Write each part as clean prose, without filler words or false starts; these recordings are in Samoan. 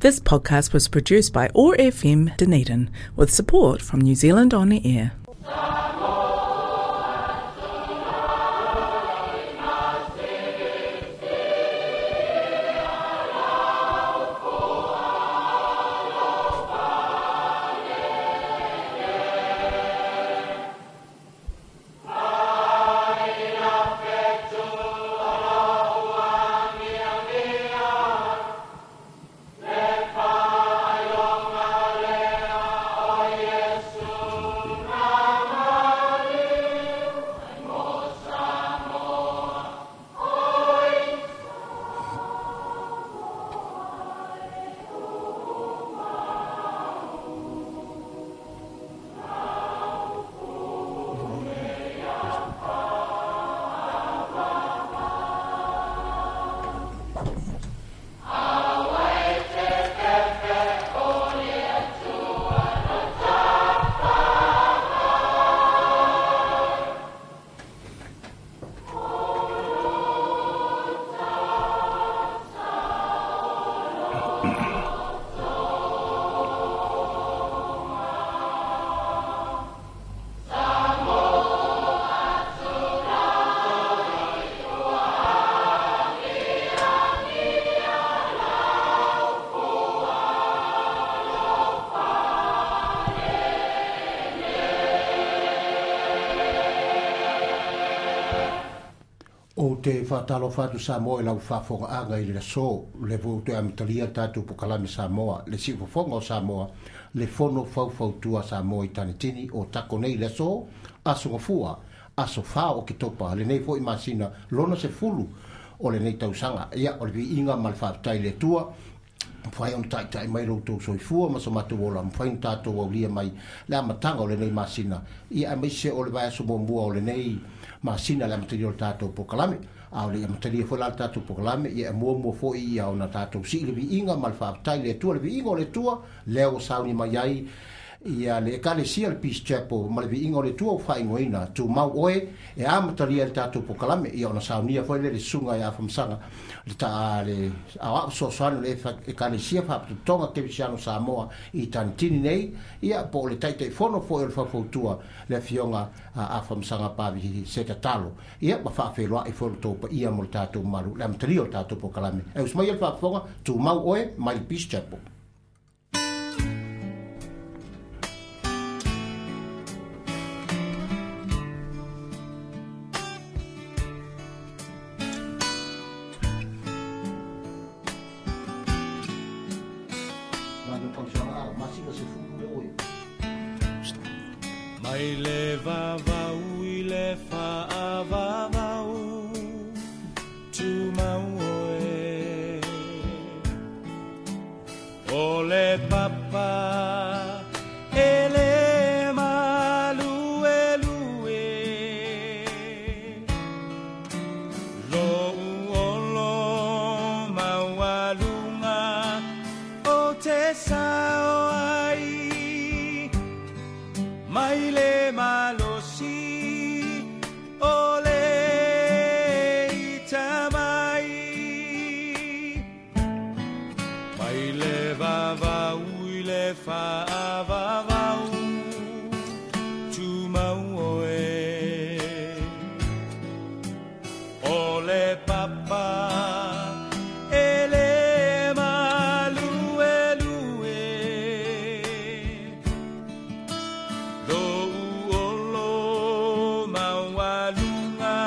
This podcast was produced by OAR FM Dunedin with support from New Zealand On Air. O te whātalo whātu Samoa i lau whāwhonga anga i le so le vau te amatalia tātou pokalame Samoa, le siufofonga o Samoa, le fono faufautua Samoa i Tanitini o tako nei le so, aso ngafua, aso whā o ki topa, le nei fo i masina, lona se fulu o le nei tausanga, ia o le vi inga ma le whātai le tua, mwhai on tai mai rau tau soifua ma so mātou ola, mwhai on tātou au lia mai le amatanga o le nei masina, ia a meise o le vai aso mua o le nei masina le amatalia o le tātou pokalame, a o le amatalia fo la le tātou pokalame, ia mua mua fo i ia o na tātou si le viinga ma le whaatai le tua, le viinga o le tua, leo sauni mai ai, ia le ekalesia le Peace Chapel ma le viinga o le tua o whaingoina, tū mau oe, e amatalia le tātou pokalame, ia ona saunia fo le sunga i a whamsanga, le tā le awa sosoano le ekalesia whaputonga kevisiano Samoa i Tanitini nei, ia po le taitai fono fo e le whafautua le fionga a whamsanga pavi se tatalo, ia ma whaawheloa i fo le tōpa ia mo le tātou maru, le amatalia o le tātou pokalame. E usmai le whaafonga, tū mau oe, mai le Peace Chapel. Mai le vavau i le whaavavau Tumau oe O le papa e le malue lue Lo uolo maualunga o te sao ai Mai le malosi o le itamai Mai le vavau i le whaavavau Tumau oe O le papa e le malue lue Lo uolo maualunga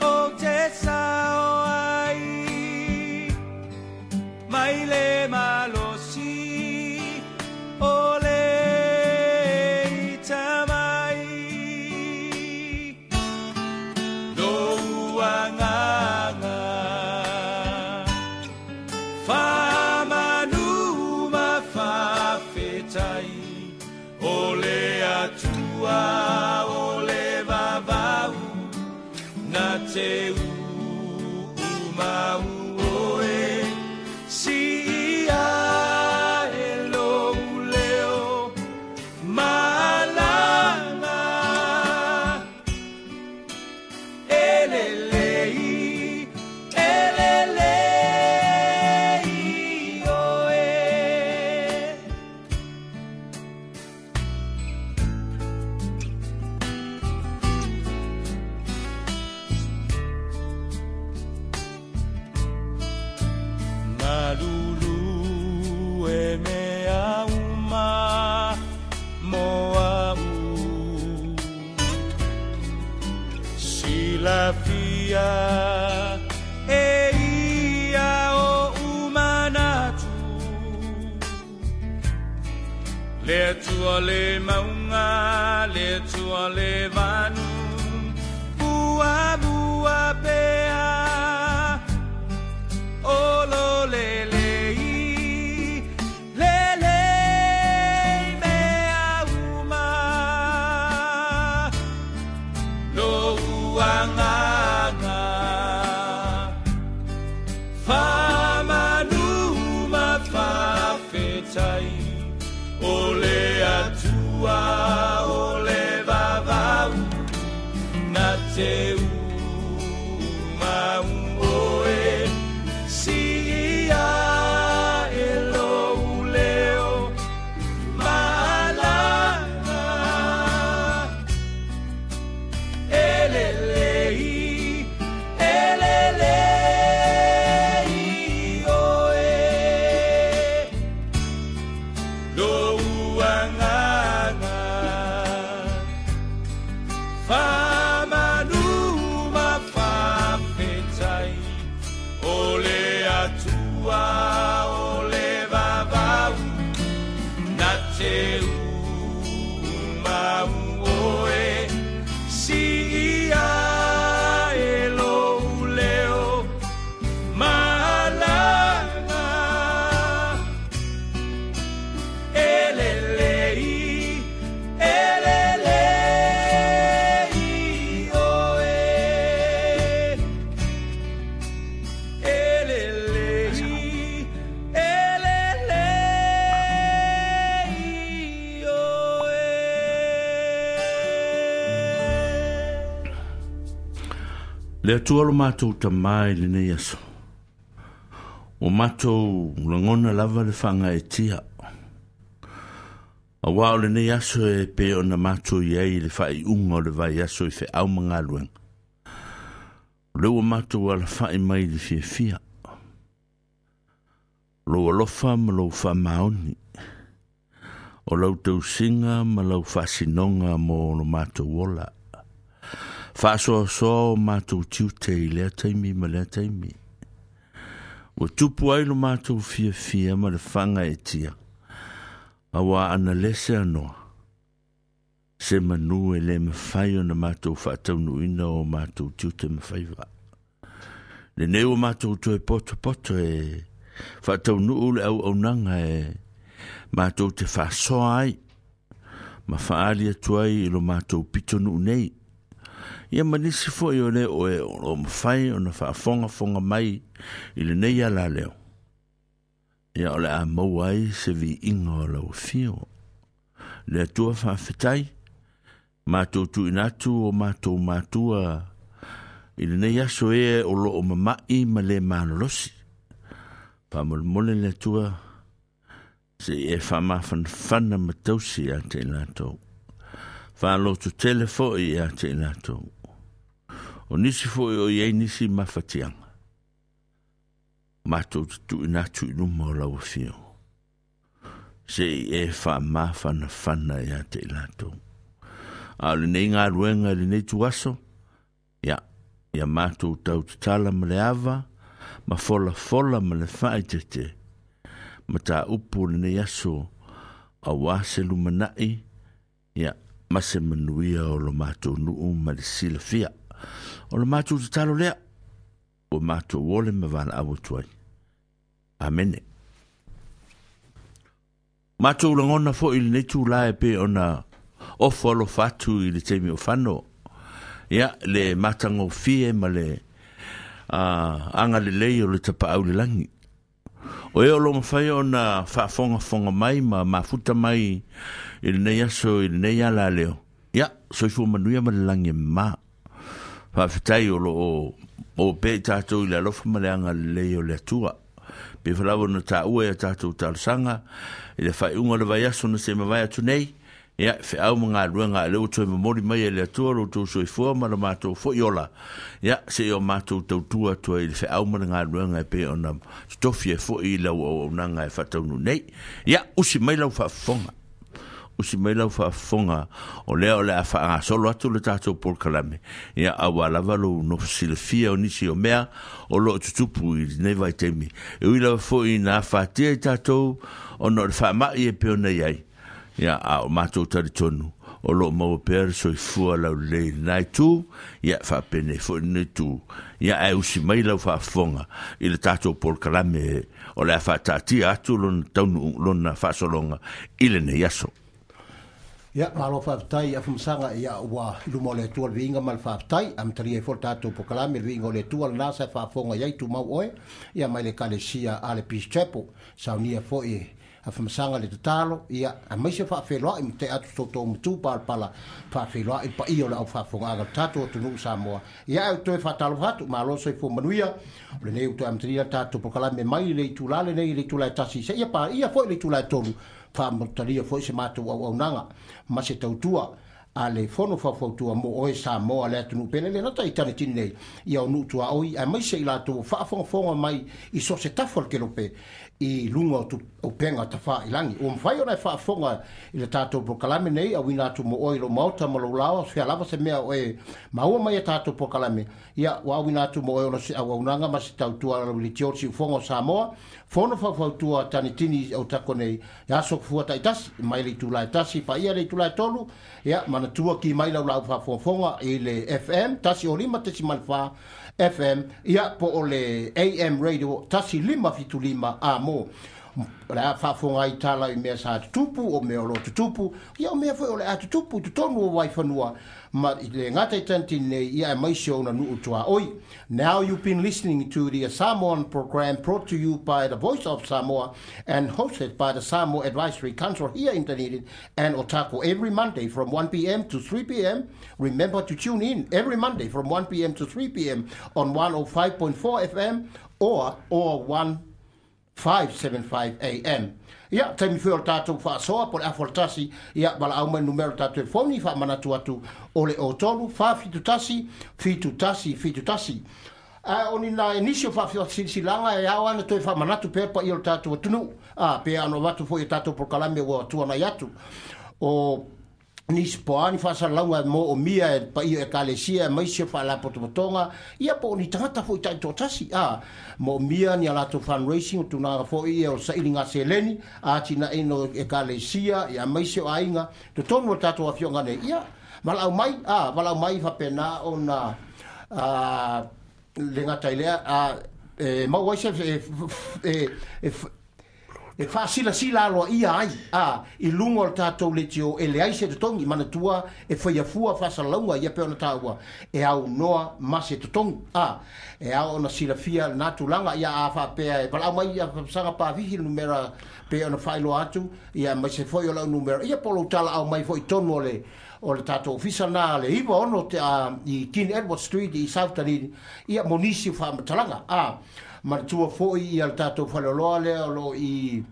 o te sao ai Mai le malosi o le itamai Lo uanganga Whamanu ma whawhetai O le atua, o le vavau Na te umau oe Si ia e lou leo malanga Elelei, elelei oe. Le Atua le mauga, le Atua le vanu, muamua pea. O lo lelei, lelei mea uma. Lou agaga, faamanu ma faafetai. O le Atua, o le vavau, na te umau oe. Siia e lou leo malaga. E lelei, e lelei oe. Lou agaga, faamanu ma faafetai. O le Atua, o le vavau, na te umau oe. Siia e lou leo malaga. E lelei, e lelei oe. E lelei, e lelei oe. Le Atua lo matou tamā i lenei aso. O matou lagona lava le faagaetia. Auā o lenei aso e pei ona matou i ai i le faaiuga o le vaiaso i feau ma galuega. O lea ua matou alafa'i mai i le fiafia. Lou alofa ma lou faamaoni. O lau tausiga ma lau faasinoga mo lo matou ola. Faasoasoa o matou tiute i lea taimi ma lea taimi. Ua tupu ai lo matou fiafia ma le faagaetia. Auā ana lese anoa. Se manu e le mafai ona matou faataunuuina o matou tiute ma faiva. Lenei ua matou toe potopoto e faataunuu le auaunaga e matou te faasoa ai ma faaali atu ai i lo matou pitonuu nei. Ia ma nisi foi o le o e o mafai ona faafogafoga mai i lenei ala leo. Ia o le a maua ai se viiga o lau afio. Le Atua faafetai, matou tuuina atu o matou matua i lenei aso e o loo mama'i ma le malolosi. Faamolemole le Atua se i e faamafanafana ma tausi ia te i latou. Faalototele foi ia te i latou. O nisi foi o i ai nisi mafatiaga. Matou te tuuina atu i luma o lau afio. Se i e faamafanafana ia te i latou. A o lenei galuega i lenei tuaso, ia, ia matou tautatala ma le ava, ma folafola ma le faaeteete, mataupu o lenei aso, auā se lumanai, ia, ma se manuia o lo matou nuu ma le silafia. O le matou tatalo lea, ua matou ole ma valaau atu ai. Amene. Matou lagona foi i lenei itulā e pei ona ofo alofa atu i le taimi o fano. Ia, le matagofie ma le agalelei o le tapaau i le lagi. O e o lo o mafai ona faafogafoga mai ma mafuta mai i lenei aso i lenei ala leo. Ia, soifua manuia ma le lagi e mama. Faafetai o lo o o pea i tatou i le alofa ma le agalelei o le Atua. Pei foi lava ona taua i a tatou talosaga i le faaiuga o le vaiaso na se mavae atu nei, ia, feau ma galuega a lea ua toe momoli mai e le Atua lo outou soifua ma lo matou foi ola, ia, se i o matou tautua atu ai i le feau ma le galuega e pei ona totofi ai foi i lau auaunaga e faataunuu nei. Ia, usi mai lau faafofoga. Usi mai lau faafofoga, o lea o le a faagasolo atu le tatou polokalame, ia, auā lava lou nofo silafia o nisi o mea o lo o tutupu i lenei vaitaimi. E ui lava foi ina afatia i tatou ona o le faamai e pei ona i ai, Ia, a o matou talitonu, o lo o maua pea le soifua laulelei i lena itu, ia, faapenei foi lenei itu. Ia, ae usi mai lau faafofoga i le tatou polokalame o le a faataatia atu lona taunuu, lona faasologa i lenei aso. Ia, malo faafetai i Afamasaga, ia, ua i luma o le Atua le viiga ma le faafetai. Amatalia ai foi le tatou polokalame, le viiga o le Atua lena sa e faafofoga i ai, tumau oe, ia, mai le Ekalesia a le Peace Chapel. Saunia foi e Afamasaga le tatalo, ia, aemaise faafeiloai ma tea atu so outou matu palapala, faafeiloai le paia o le aufaafofogaaga o le tatou atunuu Samoa. Ia, ae ou toe faatalofa atu, malo le soifua manuia, o lenei ua toe amatalia le tatou polokalame mai le itula lenei i le itula e 1 seia paia foi le itula e 3, faamatalia foi se matou auaunaga ma se tautua a le Fono Faufautua mo oe Samoa le atunuu pele le gata i Tanetini nei, ia o nuu tuaoi aemaise i latou ua faafogafoga mai i so o se tafa o le kelope i luga o upega tafailangi. Ua mafai ona e faafofoga i le tatou polokalame nei auina atu mo oe i lou maota ma lou laoa, fea lava se mea o e maua mai a tatou polokalame, ia ua auina atu mo oe ona se auaunaga ma se tautua lau leitio le siufofoga o Samoa, Fono Faufautua Tanetini i Otago nei, e aso fua taitasi, mai le itula e 1 paia le itula e 3, ia manatua ki mai lau laau faafogafoga i le FM 105.4 FM, ia po o le AM radio 1575 a mo. O le a faafofoga ai tala i mea sa tutupu, o mea o lo o tutupu, ia o mea foi o le a tutupu i totonu o Waifanua ma i le gata i Tanetini nei, ia aemaise o ona nuu tuaoi. Now you've been listening to the Samoan program brought to you by the Voice of Samoa and hosted by the Samoa Advisory Council here in Dunedin and Otago every Monday from 1 p.m. to 3 p.m. Remember to tune in every Monday from 1 p.m. to 3 p.m. on 105.4 FM or 1575 AM. Ia, taimi foi o le tatou faasoa po o le afa o le tasi, ia, valaau mai le numera o le tatou telefoni, faamanatu atu o le 03 471 71 71. Ae o ni nai nisi o faasilasilaga e ao lava ona toe faamanatu pea le paia o le tatou atunuu, a, pe ono avatu foi i a tatou polokalame ua tuanai atu. O nisi po o a ni faasalalauga e moomia e le paia o Ekalesia aemaise o faalapotopotoga, ia po o ni tagata foi taitoatasi, a moomia ni a latou fundraising, o tulaga foi ia o le sailiga seleni, atinaeina o Ekalesia, ia aemaise o aiga, totonu o le tatou afioaga nei, ia, valaau mai, a, valaau mai faapena ona, a, le gata i lea, a, e maua ai se, e, e, e faasilasila aloaia ai a i luga o le tatou leitio e leai se totogi. Manatua e faia fua faasalalauga ia pei ona taua e aunoa ma se totogi a e ao ona silafia lena tulaga. Ia a faapea e valaau mai ia Saga Pavihi le numera pei ona faailoa atu ia aemaise foi o lau numera ia po o lou talaau mai foi i totonu o le o le tatou ofisa lena le 96 te a i King Edward Street i South Dunedin ia mo nisi o faamatalaga a Manatua foi ia le tatou faleoloa lea o lo o i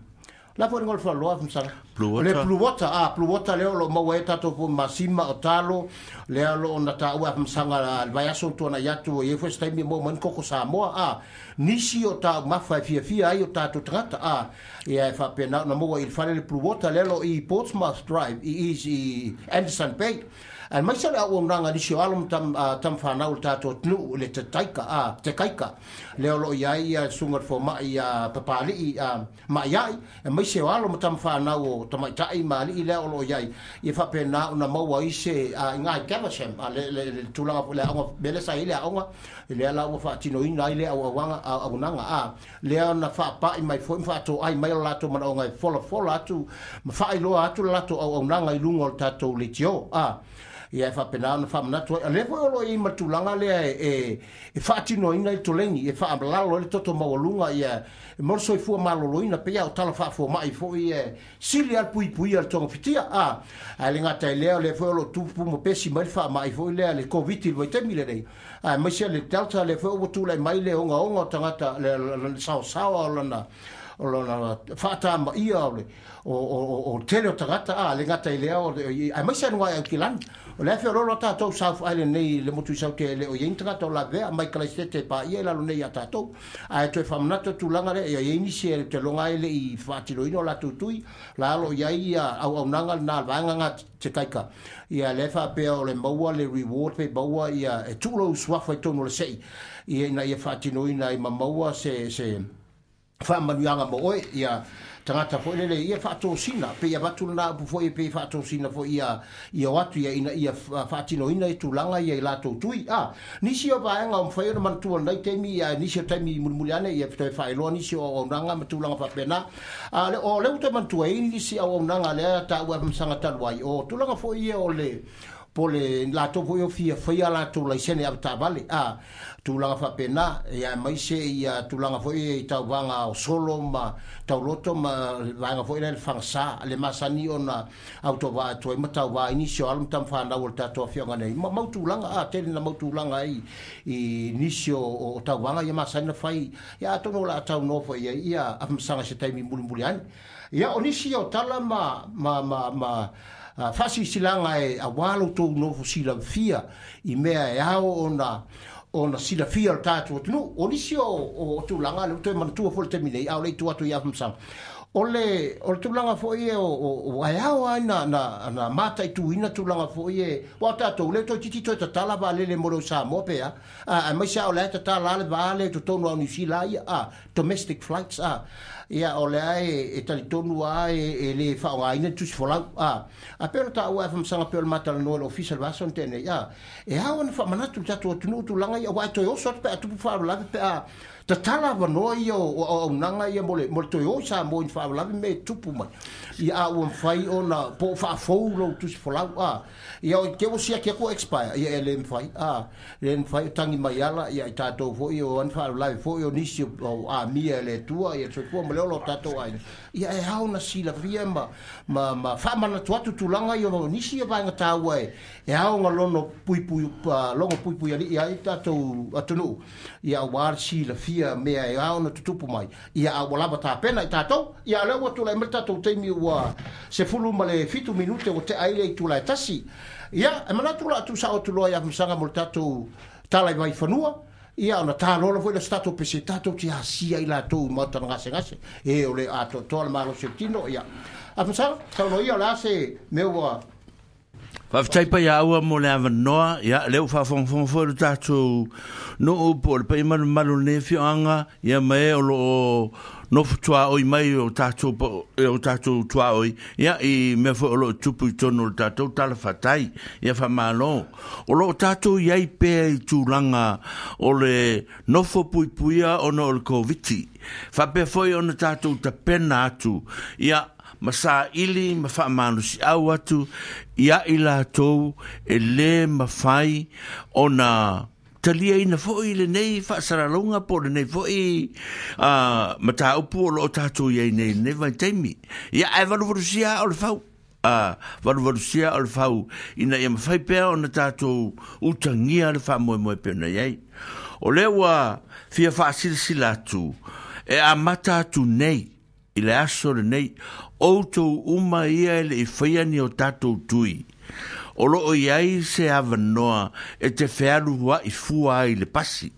la foi le faleoloa Masala. Blue Water. Le Blue Water, ah, Blue Water lea o lo o maua ai tatou foi masima o talo, lea o lo o na taua Masanga le vaiaso ua tuanai atu, e i ai foi se taimi e maua mai ni koko Samoa, ah, nisi o taumafa e fiafia ai o tatou tagata, ah, ia e faapena ona maua i le fale le Blue Water lea o lo o i Portsmouth Drive i i Anderson Bay. Aemaise le auaunaga a nisi o alo ma tama fanau o le tatou atunuu i le tetaika, a, tekaika, lea o lo o i ai ia le susuga i le fomai ia Papalii a, Ma'ia'i, aemaise o alo ma tama fanau o tamaitai ma alii lea o lo o i ai, ia faapena ona maua ai se, a, i Ngāi Caversham, a, le, le, le tulaga foi le aoga, mea lea sa i ai le aoga, lea la ua faatinoina ai le auauaga, auaunaga, a, lea na faapai mai foi ma faatoai mai lo latou manaoga e folafola atu ma faailoa atu le latou auaunaga i luga o le tatou leitio. A, ia e faapena ona faamanatu ai. A lea foi o lo o i ai ma le tulaga lea e, e faatinoina ai le toleni, e faamalalo ai le toto maualuga, ia, mo le soifua maloloina, pei lava o tala faafomai foi e sili lava le puipuia i le togafitia. A, ae le gata i lea, o lea foi o lo o tupu ma pesi mai le faamai foi lea, le Koviti i le vaitaimi lenei, aemaise le Delta lea foi ua tulai mai le ogaoga o tagata, le saosaoa o lana o lona faatamaia o le o, o, o tele o tagata, a le gata i lea, aemaise luga i Aukilani. O le a feoloolo tatou South Island nei le motu i Saute e le o i ai ni tagata o lavea mai Kalaisete e paia i lalo nei ia tatou. Ae toe faamanatu le tulaga lea, ia i ai nisi e te loga ai le i faatinoina o latou tui, la o lo o i ai ia auaunaga lena a le vaega nga te kaika. Ia lea e faapea o le maua le reward pe maua ia e tuu lou suafa i totonu o le sei ia ina ia faatinoina ai ma maua se se faamanuiaga mo oe, ia tagata foi lele ia faatosina pe ia avatu lena upu foi pe faatosina foi ia ia o atu ia ina ia faatinoina i tulaga ia i latou tui. A nisi o vaega o mafai ona manatua lenei taimi ia nisi o taimi mulimuli ane ia toe faailoa nisi o auaunaga ma tulaga faapena. A le o lea ua toe manatua ai nisi auaunaga lea taua e Afamasaga talu ai o tulaga foi ia o le po le latou foi o fia faia latou laisene avetaavale a tulaga faapena ia aemaise ia tulaga foi i tauvaga o solo ma tauloto ma vaega foi lea le fagasa le masani ona autovaa atu ai ma tauvā i nisi o alo ma tamafanau o le tatou afioaga nei ma mau tulaga a tele na mau tulaga ai i nisi o, o tauvaga ia masani na fai ia atonu o le a taunoa foi ai ia Afamasaga i se taimi mulimuli ane. Ia o nisi o tala ma ma ma ma faasilasilaga e auā lo outou nofo silafia i mea e ao ona ona silafia o le tatou atunuu. O nisi o, o, o tulaga lea ua toe manatua foi i le taimi nei, a o le i tuu atu i Afamasaga, o le, o le tulaga foi e o, o, o, ae ao lava na, na, na mataituina tulaga foi e, aua o tatou lea toeitiiti toe tatala vaalele mo le o Samoa pe a, a, aemaise lava o la e tatala lava le va lea i totonu lava o Niu Sila ia, a, domestic flights, a, ia o lea e, e talitonu lava e, e le faaaogaina le tusi folau, a, a pei ona taua e Afamasaga pei o le ma talanoa i le Ofisa i le vaiaso na tea nei, a, e ao ona faamanatu i le tatou atunuu tulaga ia, aua e toe oso atu pe a tupu faalavelave pe a tatala avanoa ia o auaunaga ia mo le, mo le toe o i Samoa i ni faalavelave me e tupu mai. Ia a ua mafai ona po o faafou lou tusi folau, a, ia o te ua siaki atu ua expire, ia e le mafai, a, le mafai o tagi mai ala ia i tatou foi o ani faalavelave foi o nisi o amia e le Atua ia le soifua ma le ola o tatou aiga. Ia e ao ona silafia ma, ma, ma faamanatu atu tulaga ia o nisi ia vaega taua e, e ao ona lono puipui, logo puipuialii ai le tatou atunuu, ia aua le silafia mea e ao ona tutupu mai, ia a ua lava tapena i tatou. Ia a lea ua tulai mai le tatou taimi ua 17 minute ua tea ai le itula e tasi. Ia, e manatu o le a tuusao atu loa i Afamasaga mo le tatou tala i Vaifanua, ia ona talola foi lea o se tatou pese tatou te asia i latou i maota na gasegase, e o le atoatoa le malosi o le tino. Ia, Afamasaga, saunoa ia o le a se mea ua Faafetai Paiaaua mo le avanoa. Ia, lea ua faafogafoga foi lo tatou nuu po o le paia malumalu o lenei afioaga, ia ma e o lo o nofo tuaoi mai o tatou, e o tatou tuaoi, ia, i mea foi o lo o tupu i totonu o le tatou talafatai. Ia, faamalo. O lo o tatou i ai pea i tulaga o le nofo puipuia ona o le Koviti. Faapea foi ona tatou tapena atu, ia, ma saili ma faamalosiau atu ia i latou e lē mafai ona taliaina foi lenei faasalalauga po o lenei foi mataupu o lo o tatou i ai nei i lenei vaitaimi. Ia, ae valuvalusia aa o le fau. A, valuvalusia aa o le fau ina ia mafai pea ona tatou utagia le faamoemoe pei ona i ai. O lea ua fia faasilasila atu e amata atu nei i le aso lenei, outou uma ia e le i faia ni o tatou tui, o lo o i ai se avanoa e te fealuaʻi fua ai le pasi,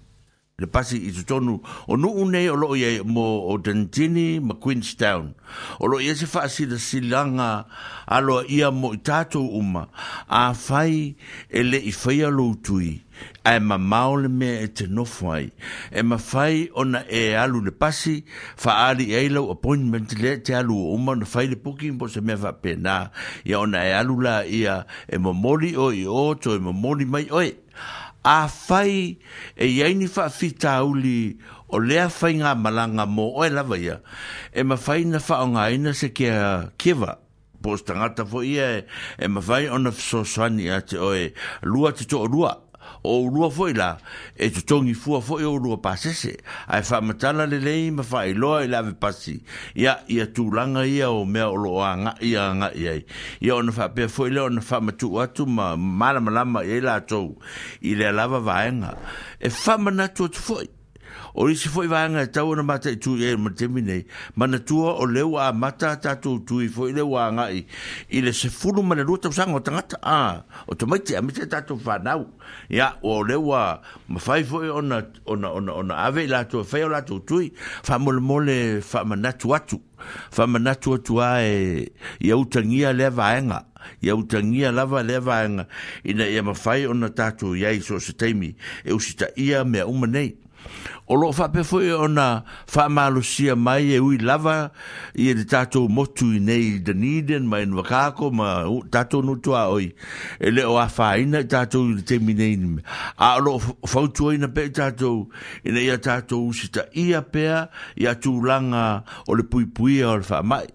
le pasi i totonu o nuu nei o lo o i ai mo o Dunedin ma Queenstown. O lo o i ai se faasilasilaga aloaia mo i tatou uma, afai e le i faia lou tui, ae mamao le mea e te nofo ai. E mafai ona e alu i le pasi, faaali i ai lau appointment lea e te alu ua uma ona fai le booking po o se mea faapena, ia ona e alu laia e momoli oe i o, toe momoli mai oe. Afai e i ai ni faafitauli o lea faigamalaga mo oe lava ia, e mafai ona faaaogaina se kea giver, po o se tagata foi ia e mafai ona fesoasoani ia te oe lua te toalua. O oulua foi la, e totogi fua foi oulua pasese, ae faamatala lelei ma faailoa i le ave pasi, ia, ia tulaga ia o mea o lo o agai agai ai, ia ona faapea foi lea ona faamatuu atu ma malamalama i ai latou i lea lava vaega. E faamanatu atu foi, O isi foi vaega e tatau ona mataitu i ai ma le taimi nei, manatua o lea ua amata a tatou tui foi lea ua agai i le 12 tausaga o tagata, a, o tamaiti, aemaise a tatou fanau. Ia, o lea ua mafai foi ona, ona, ona, ona ave i latou e fai o latou tui. Faamolemole faamanatu atu, faamanatu atu lava e, ia utagia lea vaega, ia utagia lava lea vaega ina ia mafai ona tatou i ai i so o se taimi e usitaia mea uma nei. O loo faapea foi ona faamalosia mai e ui lava i le tatou motu i nei Dunedin ma Invercargill ma tatou nuu tuaoi e le o afaina i tatou i le taimi nei, a o loo fautuaina pea i tatou ina ia tatou usitaia pea ia tulaga o le puipuia o le faamai,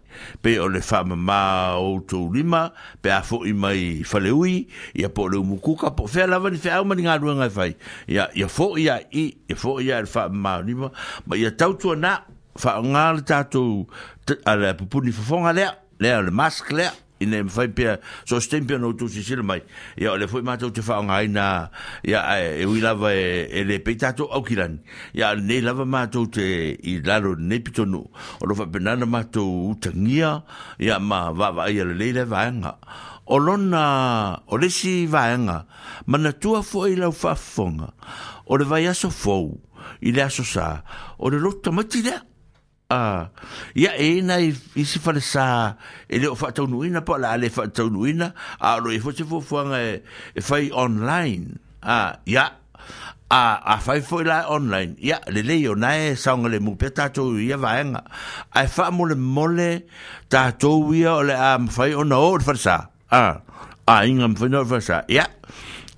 pei o le faamama o outou lima pe a foi mai faleui, ia po o le umukuka, po o fea lava ni feau ma ni galuega e fai, ia, ia foi lava i i, ia foi lava i le faamama o lima, ma ia tautuana faaaoga le tatou a le pupuni fofoga lea, lea o le mask lea, ina ia mafai pea, so o se taimi pea ona outou silasila mai, ia o lea foi matou te faaaogaina, ia ae e ui lava e, e le pei tatou Aukilani, ia a o lenei lava matou te i lalo i lenei pitonuu, o lo o faapena ona matou utagia, ia ma vaavaaia lelei lea vaega. O lona, o le isi vaega, manatua foi lau faafofoga, o le vaiaso fou i le Aso Sa, o le lotu tamaiti lea. A, ia e i ai nai isi falesa e le o faataunuuina po o le a le faataunuuina, a o lo o i ai foi se fuafuaga e, e fai online. A, ia, a, afai foi la online, ia, lelei o na e saogalemu pea tatou i ia vaega. Ae faamolemole tatou ia o le a mafai ona o i le falesa, a, aiga mafai ona o i le falesa, ia,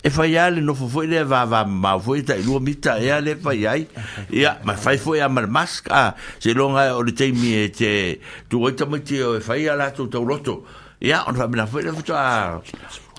e fai lava le nofo foi lea vavamamao foi tai 2 mita ea le fai ai, ia, ma fai foi lava ma le mask, a, seiloga o le taimi e te tuu ai tamaiti e fai a latou tauloto, ia, ona faapena foi lea faatoa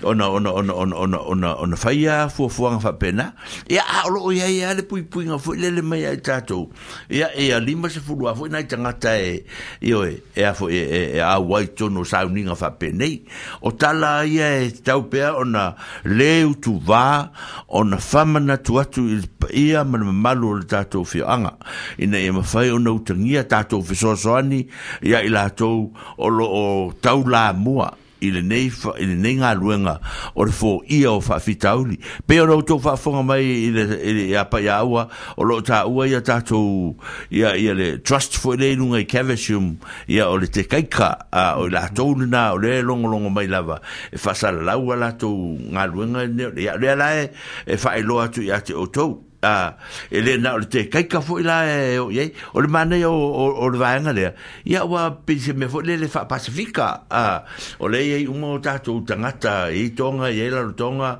ona ona ona ona ona ona ona faia fuafuaga faapena. Ia, a o loo i ai lava le puipuiga foi lele mai ia i tatou. Ia, ia 50 lava foi nai tagata e, ioe, e a foi e, e, e auai i totonu o sauniga faapenei. O tala ia e tatau pea ona le utuvā, ona faamanatu atu i le paia ma le mamalu o le tatou afioaga, ina ia mafai ona utagia tatou fesoasoani ia i latou o lo o taulamua i lenei, i lenei galuega o le foia o faafitauli. Pei ona outou faafofoga mai i le, i le, ia Paiaua, o lo o taua ia tatou, ia, ia le trust foi lea i luga i Caversham, ia o le Tekaika, a, o i latou lena o lea e logologo mai lava, e faasalalau a latou galuega, ia, o lea la e, e faailoa atu ia te outou. A, e le na o le tekaika foi la e o i ai. O le manaia o, o, o le vaega lea, ia ua pei se mea foi lele faa-Pasifika. A, o lea e i ai uma o tatou tagata, e i ai Tonga, e i ai Rarotonga,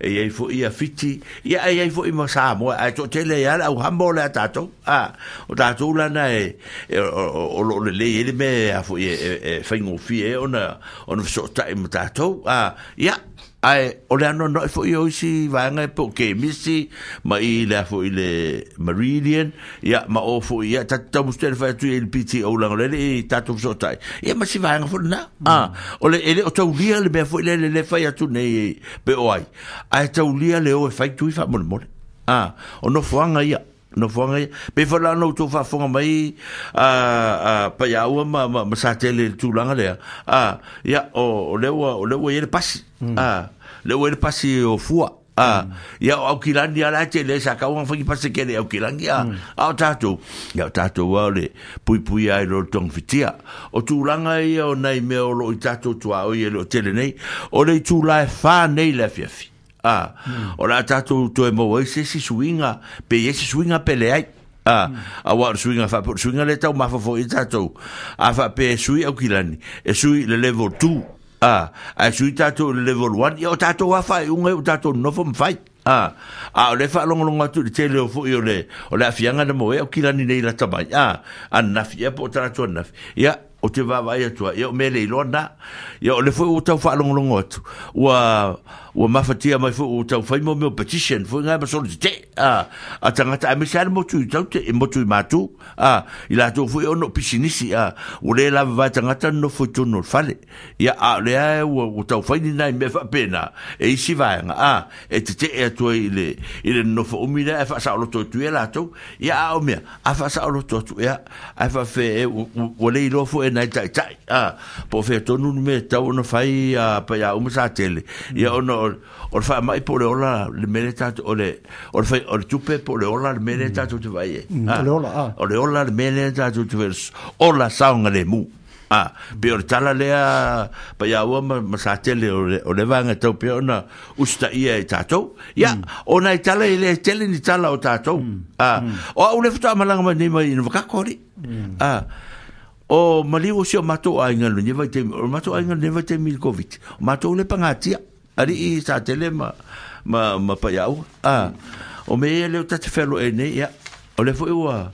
e i ai foi ia Fiti, ia e i ai foi ma Samoa, ae toatele ai lava le auhamo lea a tatou. A, o tatou la na e, e, o, o, o lo o lelei ai le mea a foi e, e, e faigofie ai ona, ona fesootai ma tatou. A, ia, Ae o le anoanoai foi o isi vaega e po o kemisi ma i le a foi le Meridian, ia ma o foi ia tatou taumustea le fai atu i le PTO leaga o lea e le i tatou fesootai, ia ma si vaega foi lena. A, o le e le o taulia le mea foi lele le fai atu nei pe o ai, ae taulia le o e fai tui faamolemole. A, o nofoaga ia. Nofoaga ia. Pei foi la ona outou faafofoga mai a, a Paiaua ma, ma, ma Satele i le tulaga lea, a, ia, o, o lea ua, o lea ua i ai le pasi, a, lea ua i ai le pasi o Fua, a, ia, o Aukilani lava la e tele ai, sa tau ona fai ni pasi tele i Aukilani, a, a o tatou, ia, o tatou lava o le puipui lava i lo le togafitia. O tulaga ia o nai mea o lo o i tatou tuaoi e le o tele nei, o le itula e 4 nei i le afiafi. Ā, o le a tatou toe maua ai se isi suiga, pe i ai se suiga pe leai. Ā, aua o le suiga faapea, o le suiga lea e taumafa foi ai tatou. A faapea e sui Aukilani, e sui i le level 2, ā, ae sui tatou i le level 1, ia o tatou lava faaiuga ia ua tatou nonofo ma fai. Ā, a o lea e faalogologo atu i le tele o foi o le, o le aafiaga na maua ai Aukilani nei lata mai, ā, ananafi ea po o talaatu ananafi, ia, Ou te vaavaai atu ai, ia o mea le iloa na. Ia o lea foi ua tau faalogologo atu, ua, ua mafatia mai foi, ua tau fai mo mea o petition foi ngai ma solo tetee, a, a tagata, aemaise lava le motu i Taute, i motu i Matu, a, i latou foi ona o pisinisi, a, ua le lava vae tagata nofo i totonu o le fale. Ia, a o lea ua, ua tau fai ni nai mea faapena, e isi vaega, a, e tetee atu ai i le, i le nonofo umi lea ae faasaoloto atu ia latou. Ia, a o mea, a faasaoloto atu ea, ae faafefea ea, ua le iloa foi e nai taitai, a, po o fea tonu le mea e tatau ona fai a Paiauma Satele, ia ona o, o le faamai po o le ola le mea lea tatou, o le, o le, fai, o le tupe po o le ola le mea lea tatou te vaai ai. O le ola, a. O le ola le mea lea tatou te vaai ai, ola saogalemu. A, pe o le tala lea pa ia ua ma sa tele o le vaega tau pea ona usitaia e tatou. Ia, o nai tala e le tele ni tala o tatou. A, o au le faatoa malaga mai nei mai i Navakako alii. A, o maliu o si o matou aiga i lenei vaitaimi, o le matou aiga i lenei vaitaimi i le Koviti, o matou le pagatia, alii sa tele ma Paiaua. A, o mea ia lea o ta te fealoai nei, ia, o lea foi ua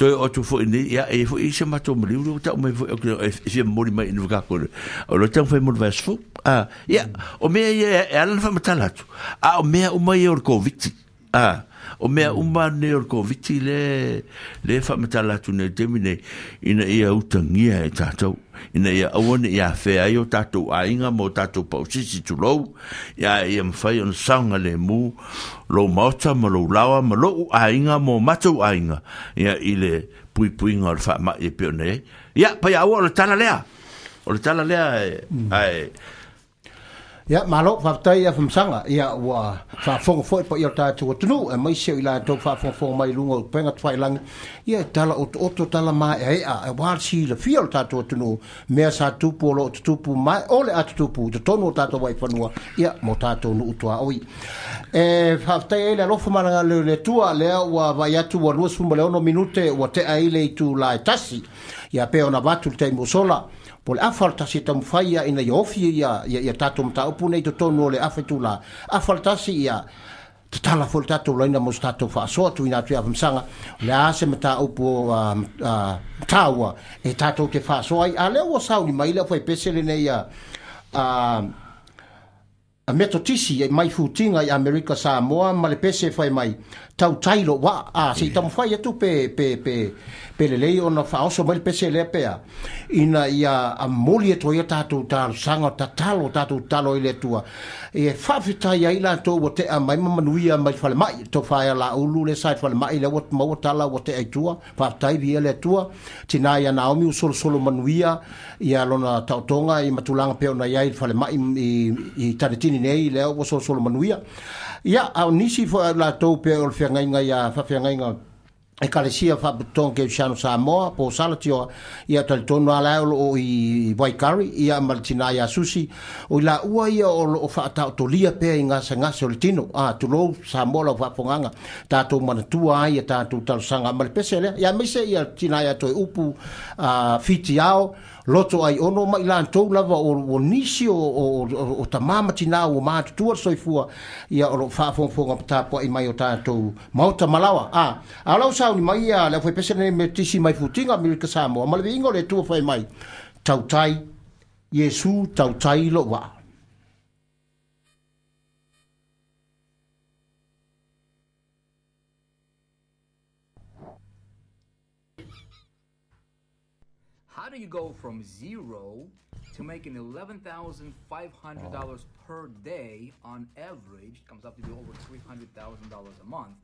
toe oo atu foi nei, ia, e i ai foi isi matou maliu lea ua tau mai foi, e fia momoli mai i Navakako, o lea e taumafai mo le vaiaso fou. A, ia, o mea ia e ala ona faamatala atu, a o mea uma ia o le Koviti. A, o mea uma nei o le Koviti le faamatala atu nei i le taimi nei, ina ia utagia e tatou, ina ia aua ne i afea ai o tatou aiga ma o tatou pausisi tulou, ia, ia mafai ona saogalemu lou maota ma lou laoa ma lou aiga ma o matou aiga, ia, i le puipuiga o le faamai e pei ona i ai. Ia, Paiaaua, o le tala lea. O le tala lea e, ae, Ia, malo, faafetai ia Famasaga. Ia, ua faafofoga foi le paia o le tatou atunuu, aemaise o i latou faafogafoga mai i luga o upega tafailagi. Ia, e tala otooto, tala maeaea, aua le silafia o le tatou atunuu, mea sa tupu o lo o tutupu ma o le a tutupu i totonu o tatou vaifanua, ia, mo tatou nuu tuaoi. E faafetai ai le alofa ma le agalelei o le Atua, lea ua vaai atu ua 26 minute ua tea ai le itula e tasi. Ia, pei ona avatu le taimi ua sola, Po o le afa o le tasi e taumafai ia ina ia ofi ia ia tatou mataupu nei i totonu o le afa itula. Afa o le tasi ia tatala foi le tatou laina mo se tatou faasoa tuuina atu i Afamasaga, o le a se mataupu taua e tatou te faasoa ai. A lea ua sauni mai le aufaipese lenei a A Metotisi mai Futiga i Amerika Samoa ma le pese fai mai, Tautai lou waa, a se i taumafai atu pe, pe, pe, pe lelei ona faaoso mai le pese lea pe a, ina ia momoli atu ai a tatou talosaga, tatalo, tatou tatalo ai i le Atua, e faafetai ai latou ua tea mai ma manuia mai le falemai, le tofa ia Laulu lea sa i le falemai, lea ua maua tala ua tea i tua, faafetai viia le Atua, tina ia Naomi ua solosolo manuia, ia lona taotoga i matulaga pei ona i ai i le falemai i Tanetini nei, lea ua solosolo manuia. Ia, a o nisi foi o latou pei o le feagaiga ia faafeagaiga Ekalesia Faapotopotoga Kerisiano Samoa, po o Sala Tioa, ia talitonu lava la o lo o i Waikari, ia ma le tina ia Susi, o i laua ia o lo o faataotolia pea i gasegase o le tino. A, tulou Samoa lau faafofogaaga, tatou manatua ai a tatou talosaga ma le pese lea. Ia aemaise ia tina ia Toeupu, a Fitiao, Loto ai ono ma i latou lava o nisi o tama ma tina ua matutua le soifua, ia o lo o faafogafoga ma tapuai mai o tatou maota malaoa. A, a o lau sauni mai ia le aufaipese lenei Metotisi mai Futiga, Amerika Samoa, ma le viiga o le Atua fai mai, Tautai, Iesu tautai lou waa. How do you go from zero to making $11,500 per day on average, comes up to be over $300,000 a month,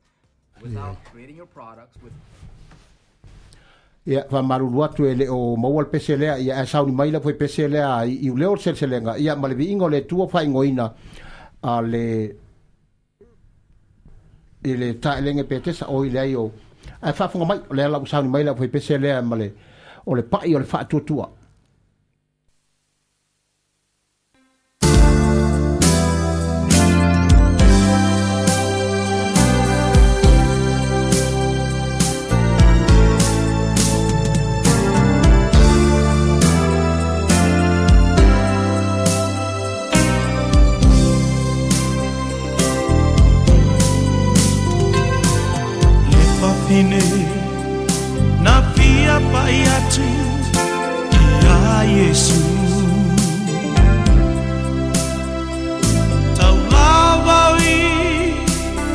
without creating your products with Ia, faamalulu atu e le o maua le pese lea, ia ae sauni mai le pese lea i iuleo le seleselega, ia ma le viiga o le Atua faaigoaina a le i le taelege Petesa o i leai o ae faafofoga mai, o lea la ua sauni mai le aufaipese lea ma le o le pa'i o le faatuatua. Le fafine na fia pai atu ia Iesu Taulava i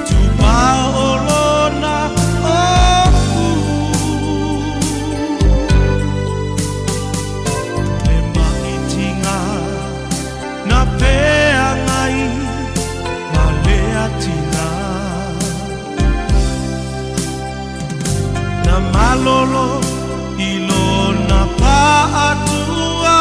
tupa o lona ofu Le maitiga na feagai ma le atina Na malolo i lona paatuatua.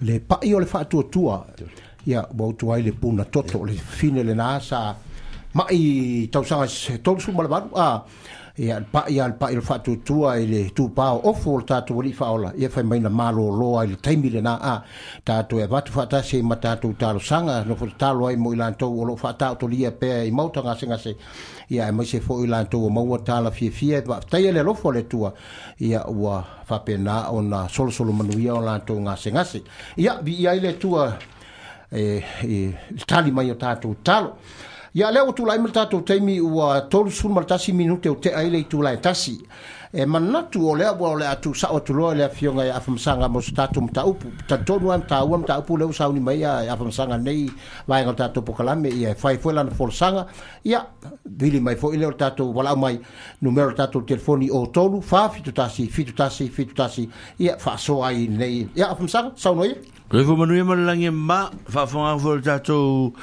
Le pa'i o le faatuatua, ia ua utu ai le puna toto, le fine lenā sa ma'i tausaga se 38, a ia le pa'i a le pa'i o le faatuatua i le tupā o ofu o le tatou alii faaola, ia fai mai na malōlō ai le taimi lenā, a tatou e avatu faatasi ai ma tatou talosaga nofo tatalo ai mo i latou o loo faataotolia pea i maota gasegase, ia aemaise foi i latou o maua tala fiafia e faafetaia le alofa o le Atua, ia ua faapena ona solosolo manuia o latou gasegase. Ia viia ai le Atua e le tali mai o tatou talo. Ia lea ua tulai mai le tatou taimi ua 31 minute o tea ai le itula e 1. E manatu o lea ua o le a tuusao atu loa i le afioga ia Afamasaga mo se tatou mataupu. Talitonu lava taua mataupu lea ua sauni mai ia Afamasaga nei vaega o le tatou polokalame, ia e fai foi lana folasaga. Ia, vili mai foi lea o le tatou valaau mai, numera o le tatou telefoni o 3 471 71 71, ia faasoa ai nei. Ia Afamasaga, saunoa ia. Soifua manuia ma le lagi e mama, faafofoga foi le tatou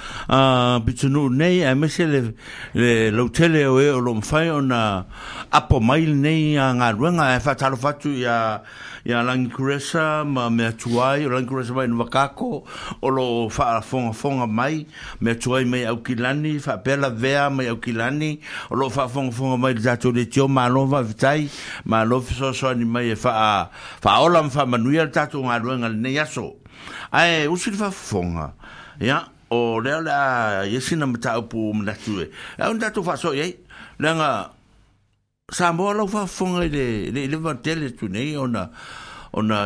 pitonuu nei, aemaise le, le lautele o e o lo o mafai ona apo mai lenei galuega. Ae faatalofa atu ia, ia Lagi Kuresa ma mea tuai, o Lagi Kuresa mai Nuvakako, o lo o faafogafoga mai, mea tuai mai Aukilani, faapea Lavea mai Aukilani, o lo o faafogafoga mai le tatou leitio, malo faafetai, malo fesoasoani mai e faa Faaola ma faamanuia le tatou galuega i lenei aso. Ae usi le faafofoga, ia, o lea o le a i ai sina mataupu ua manatu e ao ona tatou faasoa i ai, leaga Samoa lau faafofoga i le le i leva tele atu nei ona ona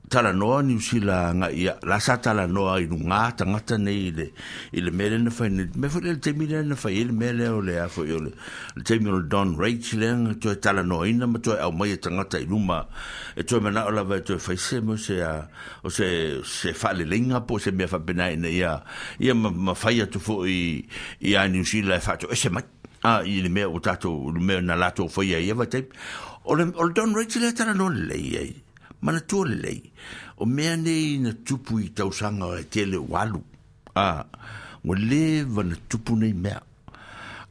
talanoa Niu Sila agai ia, la sa talanoa i luga tagata nei i le i le mea lea na fai nei, mea foi lea le taimi lea na fai ai le mea lea o le a foi o le le taimi o le Don Rage lea na toe talanoaina ma toe aumaia tagata i luma e toe manao lava e toe fai se mo se a o se se faaleleiga po o se mea faapena ina ia ia ma, ma fai atu foi i a Niu Sila e faatoese mai a i le mea ua tatou le mea na latou faia i ia vaitaimi. O le, o le Don Rage lea talanoa lelei ai, manatua lelei, o mea nei na tupu i tausaga e tele ua alu, a, ua leva na tupu nei mea.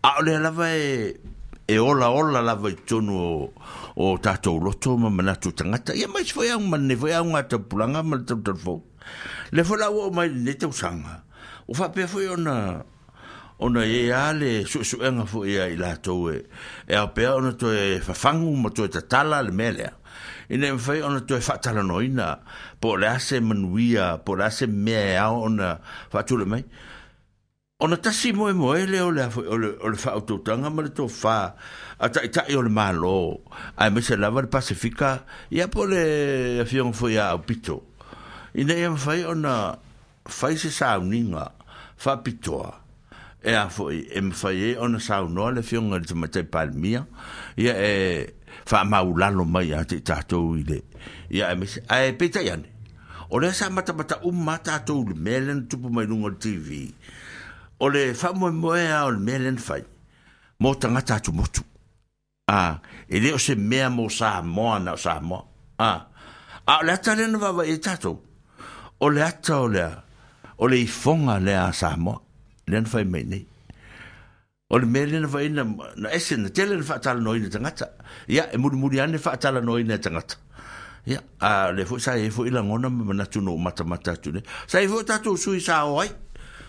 A o lea lava e, e olaola lava i totonu o, o tatou loto ma manatu o tagata. Ia ma isi foi au, ma lenei foi auga taupulaga ma le talutalufou. Lea foi la ua oo mai i lenei tausaga, ua faapea foi ona, ona e i ai lava le suesuega foi a i latou e, e ao pea ona toe fafagu ma toe tatala le mea lea, ina ia mafai ona toe faatalanoaina po o le a se manuia, po o le a se mea e ao ona faatulai mai. Ona tasi moemoe lea o le, o le, o le faautautaga ma le tofa a taitai o le Malo, aemaise lava le Pasefika, ia po o le Afioga foi ia Aupito, ina ia mafai ona fai se sauniga faapitoa e a foi e mafai ai ona saunoa le Afioga i le Tamaitai Palemia, ia e faamaulalo mai ia te i tatou i le, ia aemaise, ae peitai ane, O lea sa matamata uma lava tatou i le mea lea na tupu mai luga o le TV. O le faamoemoe lava o le mea lea na fai, mo tagata atumotu. A, e le o se mea mo Samoa na o Samoa. A, a o le ata lea na vaavaai ai tatou, o le ata o le, o le ifoga lea a Samoa, lea na fai mai nei. O le mea lea na fai na, na ese, na tele na faatalanoaina e tagata. Ia, e mulimuli ane faatalanoaina e tagata. Ia, a lea foi sa i ai foi lagona ma manatu na ou matamata atu nei. Sa i ai foi o tatou sui sa o ai.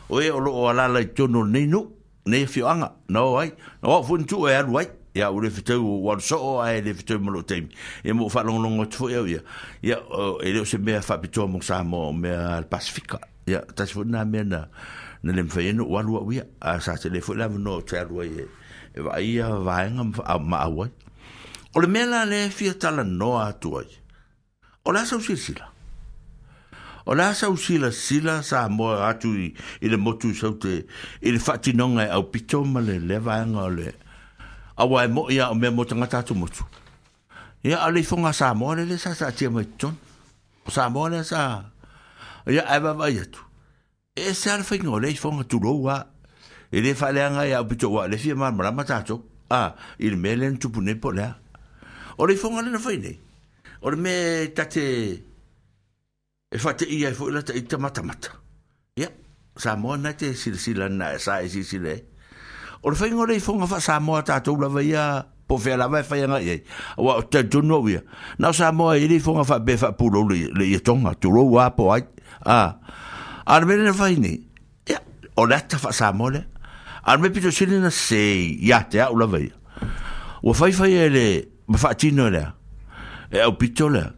O e o lo o alaala i totonu o lenei nuu, lenei afioaga, na o ai. Na o au foi na tuu e alu ai. Ia, ua le fetau, ua alu soo ae le fetau ma lou taimi. Ia, ma ou faalogologo atu foi au ia. Ia, e le o se mea faapitoa mo Samoa, o mea a le Pasefika. Ia, tasi foi lena mea na, na le mafai ai ona ou alu au ia. A sa tele foi le avanoa ou te alu ai e, e vaai ia vaega ma, ma au ai. O le mea la lea e fia talanoa atu ai, o le a sau silasila? O le a sau silasila Samoa atu i, i le motu i Saute i le faatinoga e aupito ma le lea vaega o le aua e moi a o mea mo tagata atumotu. Ia, a o le ifoga a Samoa lea lea sa taatia mai totonu. O Samoa lea sa... Ia, ae vaavaai atu. E ese lava le faiga o lea ifoga, tulou lava. E le faaleaga ai au pito ua le fia malamalama tatou. A, i le mea lea na tupu nei po o le a. O le ifoga lea na fai nei, o le mea e ta te... e faateia ai foi lata ita matamata. Ia, Samoa na te silasila na sa e silasila ai. O le faiga o le ifoga faa-Samoa tatou lava ia Po o fea lava e fai agai i ai. Aua ou te talitonu au ia, na o Samoa e i ai le ifoga faapea e faapulou le, le ietoga, tulou lava po o ai. A, a o le mea lea na fai nei, ia, o le ata faa-Samoa lea. A o le mea pito sili ona sese ia te au lava ia, ua faifai e le, ma faatino e le a, e aupito lea,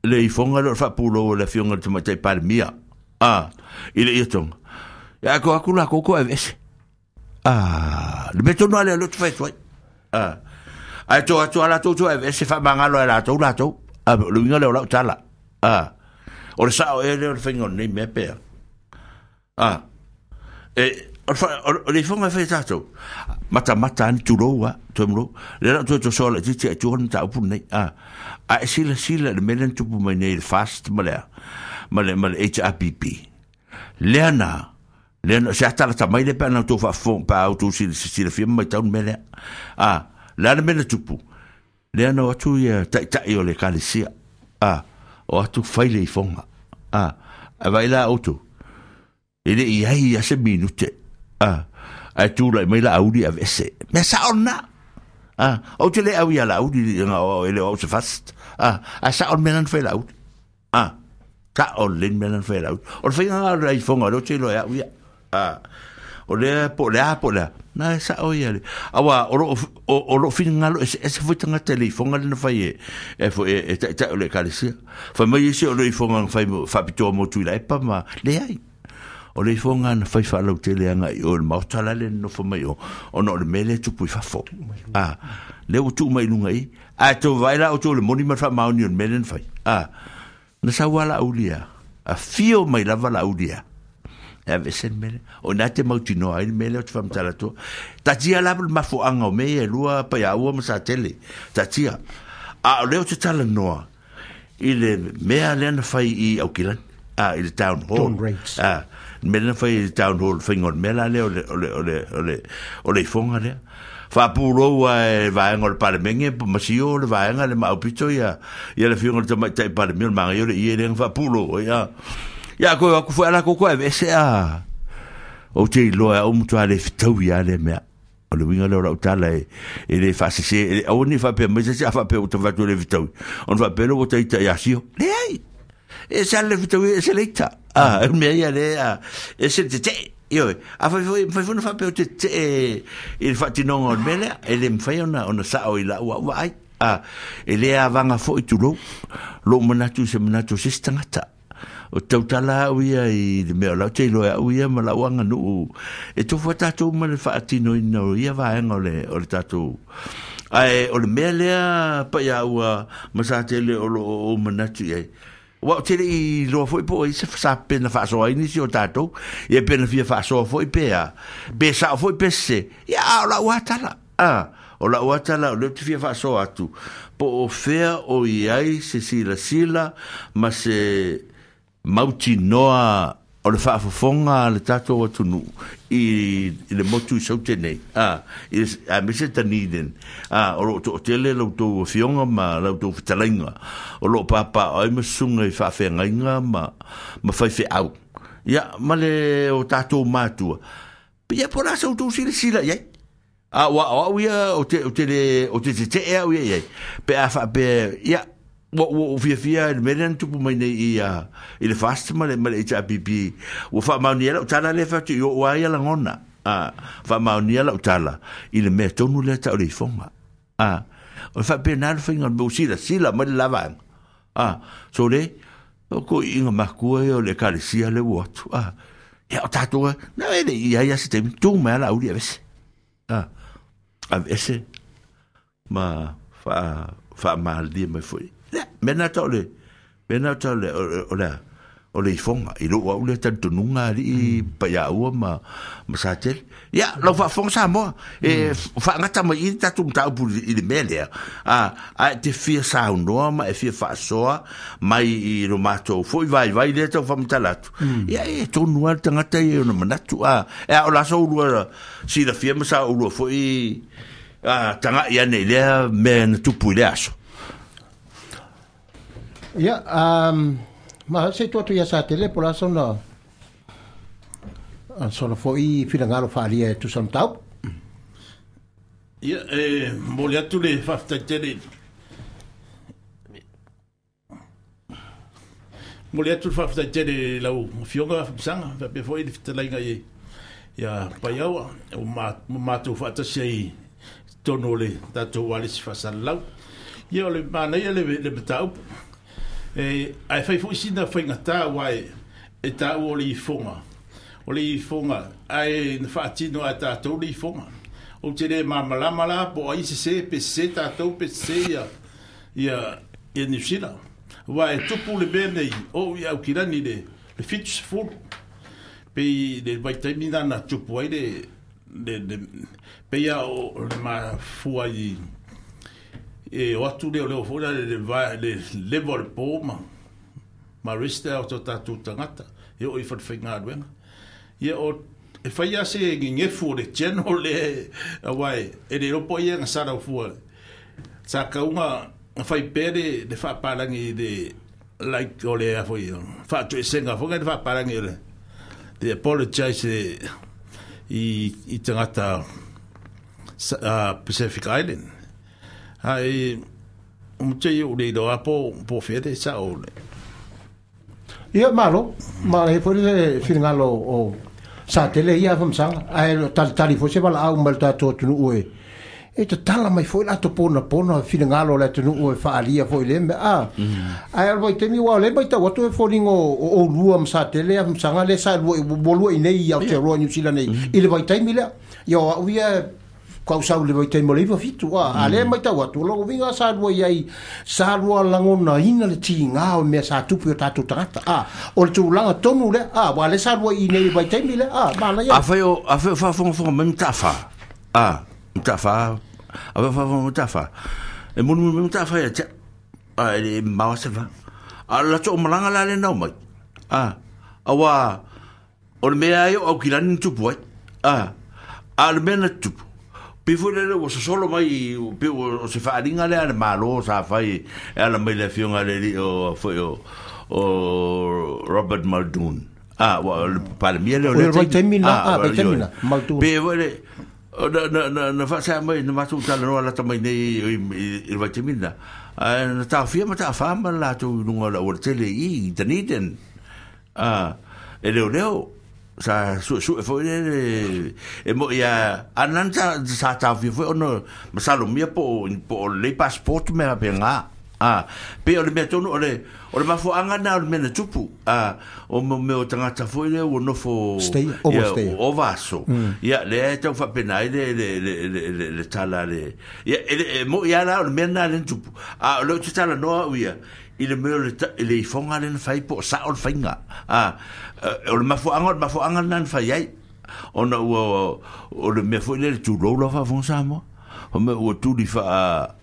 le ifoga lea o le faapulou a le Afioga i le Tamaitai Palemia, a, i le ietoga. Ia, ae toe o atu latou toe aveese. Ah, le mea tonu lava lea o lea ou te fai atu ai. Ah, ae to atu lava latou toe aveese faamagalo ai latou latou. Ah, o le uiga lea o lau tala. Ah, o le sao ea lea o le faiga o lenei mea pea. Ah, e, o le, o le ifoga e fai e tatou, matamata lava ni tulou lava, toe mulou. Lea la ou toe tosoa laitiiti ai tua le mataupu lenei. Ah, a e silasila i le mea lea na tupu mai nei i le FAST ma le a, ma le, ma le HRPP. Lea na, lea na, se ata lata mai lea pe a na outou faafofoga, pe a outou silafia ma matau le mea lea. A, le a le mea na tupu? Lea na o atu ia taitai o le ekalesia, a, o atu fai le ifoga. A, ae vaai la outou, e le i ai a se minute, a, ae tulai mai Laauli aveese. Mea sao lena. A, ou te le au ia Laauli, e le o au se fast. A, ae sao le mea lena na fai e Laauli. A, ka o le mea lena whai rau. O le whainga ngā rei whonga, reo te iloa e au ia. A, o lea po le a po le a. Nā e sa o ia le. Awa, o lo, o, o lo whingalo e se ese fo tangata le ifonga le na whai e, e fo e, e tai tai o le ekalesia. Whai mai ese o le ifonga na whai whapitoa mo tui la epa ma le ai. O le ifonga na whai whalau tele anga i o le maota la le nofo mai o, ona o le mele tupu i fafo. A, le ua tuu mai lunga i, Ae tou vaai la outou i le moni ma le faamaoni o le mea lea na fai. A, na sau lava Laauli a, afio mai lava Laauli a, e aveese le mea lea. O i ina te mautinoa ai le mea lea ou te faamatala atua. Taatia la le mafuaaga o mea ia e lua, Paiaua ma Satele. Taatia. A o lea ou te talanoa i le mea lea na fai i Aukilani, a, i le town hall. Dawn Raids. A, le mea lea na fai i le town hall, le faiga o le mea la lea o le, o le, o le, o le, o le ifoga lea. Faapulou lava e vaega o le Palemene ma sio le vaega le maau pito ia, ia le afioga i le Tamaitai Palemia o le manaia o le ie lea na faapulou ai, a. Ia, toe o atu foi a latou toe aveese a. Ou te iloa e au matua le fetaui lava lea mea. O le uiga lea o lau tala e, e le faasese, e, aua ne i faapea mai se isi a faapea ua ta fai atu e le fetaui. Ona faapea lea ua ta ita ia Sio. Leai! E se ale fetaui, e se le ita. A, e mea ia le, a, e se le tetee. Ioe, a fai foi, mafai foi ona faapea ou te tetee i le faatinoga o le mea lea, e le mafai ona, ona sao i lau au vaai. A, e le avaga foi tulou, lou manatu i se manatu o se isi tagata. O te tautala au ia i le mea o lau te iloa e au ia ma lau aganuu e tofu ai tatou ma le faatinoina o ia vaega o le, o le tatou. Ae o le mea lea Paiaua ma Satele o lo o ou manatu i ai, Aua ou te le i iloa foi po o ai se sa pe na faasoa ai nisi o tatou, ia pe na fia faasoa foi pe a, pe sao foi pe sese. Ia, a o lau lava tala, a, o lau lava tala o lea ou te fia faasoa atu, po o fea o i ai se silasila ma se mautinoa o le faafofoga a le tatou atunuu i le motu i Saute nei, a, i le, aemaise Dunedin, a, o lo o toatele la outou afioga ma la outou fetalaiga o lo o papaaao ai ma susuga i faafeagaiga ma, ma faifeau, ia, ma le o tatou matua, ia po o le a sa outou silasila i ai. A ua o au ia o te, o te le, o te tetee au ia i ai. Pe a faapea, ia, ua, ua ou fiafia i le mea lea na tupu mai nei i, a, i le FAST ma le, ma le HRPP. Ua faamaonia lau tala lea e fai atu i o'u lava ia lagona. A, faamaonia lau tala i le mea tonu lea tau o le ifoga. A, o le faapena le faiga o le mea ua silasila mai le la vaega. A, so le, o toeaiina matua ia o le ekalesia lea ua o atu. A, ia o tatou, na e le i ai lava se taimi, tu mai lava Laauli aveese. A, aveese ma faa, faamalilie mai foi. Ia, mea na tau o le, mea na tau o le, o le, o le a? O le ifoga, i lou au lea talitonuga alii Paiaua ma, ma Satele. Ia, lau faafofoga Samoa, e faagata mai i le tatou mataupu i le mea lea, a, a e te fia saunoa ma e fia faasoa mai i lo matou foi vaivai lea tau faamatala atu, ia e tonu lava le tagata ia i ona manatu, a, e a o la sa oulua silafia ma sa oulua foi a, tagai ane i lea mea na tupu i lea aso. Ia, ma se i tuu atu ia Satele po o le a sona, sona foi finagalo faaalia e tusa ma mataupu. Ia, e momoli atu le faafetai tele momoli atu le faafetai tele i lau Afioga Afamasaga faapea foi le fetalaiga i ia Paiaua ua matou faatasi ai i totonu o le tatou ualesi faasalalau. Ia o le manaia le mataupu. E, ae fai foi sina faigata aua e taua o le ifoga, o le ifoga, ae na faatino lava e tatou le ifoga. Ou te le malamalama la po o ai e sese, pe sese tatou pe sese ia, ia, ia Niu Sila. Aua e tupu le mea nei, o ou i Aukilani i le, le 70, pei le vaitaimi lena na tupu ai le, le, le pei lava o le mafua i, e o atu leoleo foi la le, le leva o le po ma, ma arrest o tatou tagata e oo i falefaigaluega. Ia o e fai lava se gegefu o le general lea aua e le iloa po o ai e agasala fua. Sa tau na fai pea le le faapalagi i le like o le a foi faatoesega foi le faapalagi o le the apologize i tagata Pacific Island. Ae o te i o le iloa po fea le sao le. Ia, malo. Ma e foi le finagalo o Satele ia Afamasaga. Ae talitali foi se valaau mai le tatou atunuu e e tatala mai foi latou ponapona finagalo o le atunuu e faaalia foi i lea mea. A, ae o le vaitaimi aua o lea e matau atu e foliga o oulua ma Satele Afamasaga lea sa lua ua lua i nei i Aotearoa Niu Sila nei i le vaitaimi lea. Ia o au ia kausau i le vaitaimi o le 97, a lea e matau atu, o lona uiga sa lua i ai, sa lua lagonaina le tiga o mea sa tupu i o tatou tagata, a, o le tulaga tonu lea, a, aua o lea sa lua i inei i le vaitaimi lea, a, manaia. Afai o, afai o faafogafoga mai Mataafa, a, Mataafa, afai o faafogafoga mai Mataafa, e mulimuli mai Mataafa ia te au, a, e le mamao lava se va. A o le latou malaga la lea na omai, a, aua O le mea ai o Aukilani na tupu ai. A, a o le mea na tupu, pei foi lele ua sosolo mai, pei o se faaaliga lea a le Malo sa fai e ala mai le afioga i le alii o, foi o, o Robert Muldoon. A, ua o le Palemia lea o lea taimi. A, vaitaimi na, Muldoon. Pei foi le, na, na, na, na faasea mai, na matou talanoa lata mai nei i, i, i le vaitaimi lena. Ae na taofia Mataafa ma le latou i luga o le aualatele i i Dunedin. A, e leoleo, sa suesue foi lele, e moi a, a nana sa, sa taofia foi ona masalomia po o, po o lelei passport mea faapena. A, pei o le mea tonu, o le, o le mafuaaga lena o le mea na tupu. A, o mo mea o tagata foi lea ua nofo... Stay, overstay. Ia, ova aso. Ia, lea e tau faapena ai le, le, le, le, le, le tala a le... Ia, e, e moi lava la o le mea lena lea na tupu. A o lea ou te talanoa au ia, i le mea o le, i le ifoga lea na fai po o sao le faiga. A, o le mafuaaga, o le mafuaaga lena na fai ai. Ona ua, o le mea foi lea le tulou lau faafofoga Samoa. O mea ua tuli faa,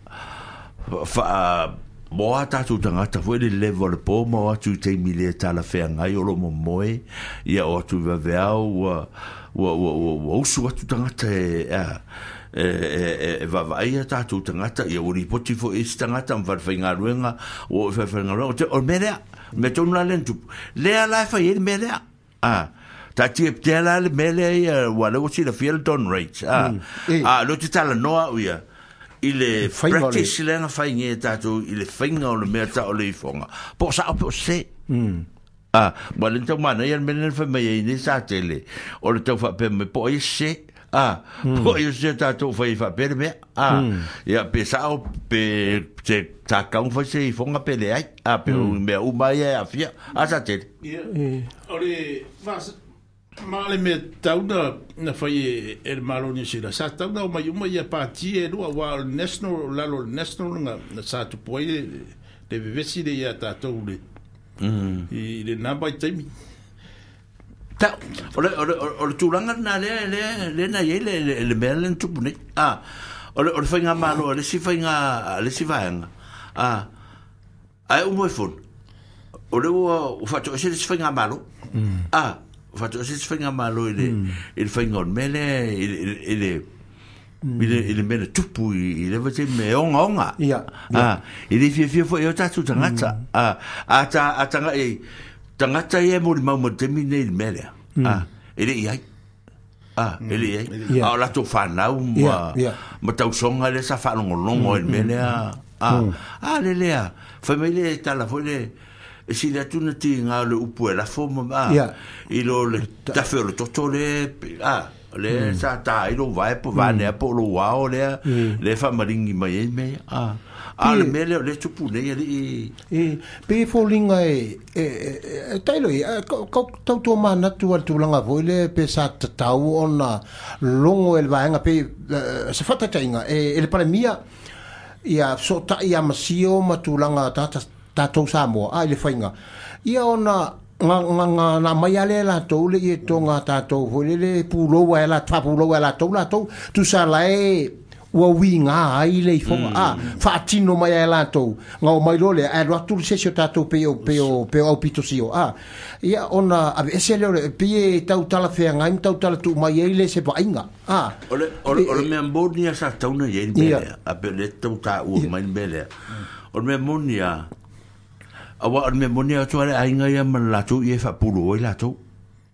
faa, moa tatou tagata foi le leva o le po ma o atu i taimi le talafeagai o lo o momoe, ia o atu i vaveao ua, ua, ua, ua, ua usu atu tagata e, a, e vaavaai a tatou tagata, ia ua lipoti foi i isi tagata ma falefaigaluega, ua oo i falefaigaluega, o te, o le mea lea, mea tonu la lea na tupu. Lea la e fai ai le mea lea. A, taatia pea la le mea lea ia, ua lea ua silafia le Don Rates. A, a, lea ou te talanoa au ia, i le practice lea na fai nei e tatou i le faiga o le mea tau o le ifoga. Po o sao po o sese. A, ua le tau manaia le mea lea na fai mai ai nei Satele, o le tau faapea mai, po o ai e sese, a, po o ai e sese tatou fai ai faapea le mea, a, ia, pe sao, pe se tatau ona fai se ifoga pe leai, a, pe o mea uma ia e aafia, a Satele. Ia, o le ma le mea tatau na fai e le Malo o Niu Sila, sa tatau ona omai uma ia pati e lua, aua o le National, o lalo o le National na sa tupu ai le vevesi lea ia tatou i le i lena vaitaimi. Ta, o le, o le, o le tulaga lena lea, lea, lea na i ai le, le, le mea lea na tupu nei. A, o le, o le faigamalo a le isi faiga, a le isi vaega, a, ae uma i fono, o lea ua, ua faatoese le isi faigamalo. A, ua faatoese le isi faigamalo i le, i le faiga o le mea lea, i le, i le, i le, i le mea na tupu i, i le vaitaimi me ogaoga. Ia, A, i le fiafia foi o tatou tagata. A, a, ta, a tanga, e, tagata ia e molimau mai le taimi nei i le mea lea. A, e le i ai. E le ai. A o latou fanau ma ma tausoga lea sa faalogologo ai i le mea lea. A le lea, fai mai le tala foi le e sili atu na tiga o le upu e lafo ma i lo le tafe o le toto le le sa ta ai lou vae po vaanea po o lou ao lea le faamaligi mai ai mea ia. A o le mea lea o lea e tupu nei alii. E pei e foliga e tailo ia, tau manatu a le tulaga foi lea pe sa tatau ona logo e le vaega pe se faataitaiga e le Palemia ia sootai ia masio ma tulaga tatou Samoa a i le faiga ia ona nga mai ale latou le ie tonga tatou foi lele pulou ai la faapulou ai latou latou tusa lae ua uiga ai le ifoga a faatino mai ai latou nga o mai loa lea ae alu atu le se isi o tatou pei o pei o pei o aupito sio a ia ona aveese lea o le pei e tautala feagai ma tautala tuu mai ai le se vaaiga a O le o le o le mea moni lava sa tatau ona i ai le mea lea, a pe o lea e tau taua mai le mea lea. O le mea moni lava, aua o le mea moni lava atu lava le aiga ia ma le latou ie e faapulou ai latou.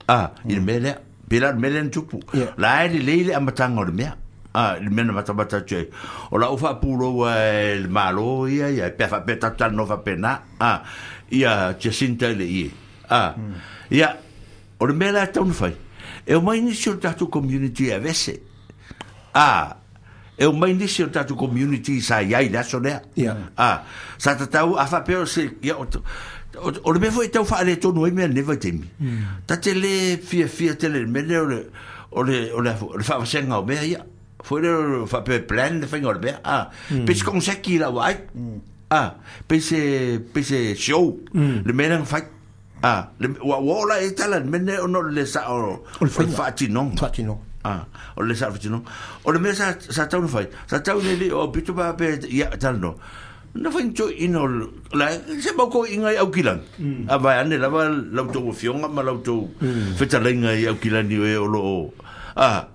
A, i le mea lea. Pei la o le mea lea na tupu. La e lelei le amataga o le mea. A, i le mea na matamata atu ai. O lau faapulou lava e le Malo ia ia, pe a faapea tatou talanoa faapena. A, ia Jacinta i le ie. A, ia, o le mea la e tatau ona fai, e omai nisi o le tatou community e aveese. A, e omai nisi o le tatou community sa i ai i le aso lea. A, sa tatau, a faapea o se, ia, o, o le mea foi e tau faaletonu ai mea i lenei vaitaimi, ta te le fiafia tele i le mea lea o le, o le, o le, o le faavasega o mea ia. Foi lea o le faapea e plan le faiga o le mea, a, pei se koneseti i lau vaai, a, pei se, pei se show le mea lea na fai. A, le, ua, ua oo la i ai tala i le mea lenei ona o le le sao o le faatinoga. Faatinoga. A, o le le sao o le faatinoga. O le mea sa, sa tatau ona fai, sa tatau i le alii o aupito pa pe, ia, talanoa. Na fai ni toeaiina o le, la, se mau toeaiina i Aukilani. A vaeane lava la outou afioga ma la outou fetalaiga i Aukilani o e o lo o, a,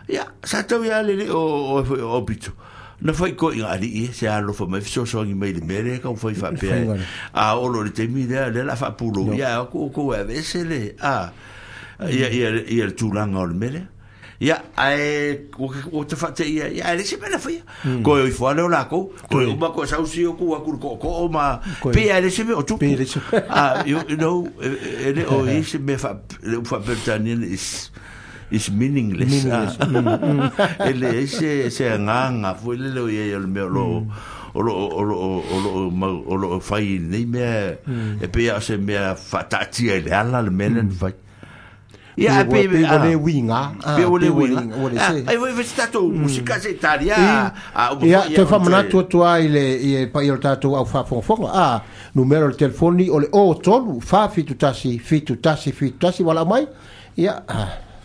ia, sa tatau ia le alii o, o, o aupito. Na fai toeaiina alii e, se alofa mai fesoasoani mai i le mea lea e taumafai faapea. A oo loa i le taimi lea, lea o le a faapulou, ia, e o atu outou e aveese le, a, ia, ia, ia le tulaga o le mea lea. Ia, ae ua ta faateia, ia, ae leai se mea na faia. Toe o ifo lava lea o latou, toe uma toe sau sio tu atu i le tootoo ma, pei lava e leai se mea o tupu. Ah, you know, e le o i ai se mea faa, le upu faa-Peretania is, is meaningless. Ah. E leai se, se agaga foi lele o i ai o le mea o lo o, o lo o, o lo o, o lo o mau, o lo o fai i lenei mea, e pei lava o se mea faataatia i le ala le mea lea na fai. Ia, ae pei, Pei ua le uiga. Pei ua le uiga. Ai foi foi se tatou musika se Italia, a uma foi Ia, toe faamanatu atu lava i le i le paia o le tatou au faafogafoga, a, numera o le telefoni o le 03 471 71 71, ua lau mai, ia,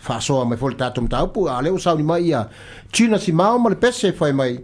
faasoa mai foi le tatou mataupu, a o lea ua sauni mai ia Gina Simao ma le pese fai mai.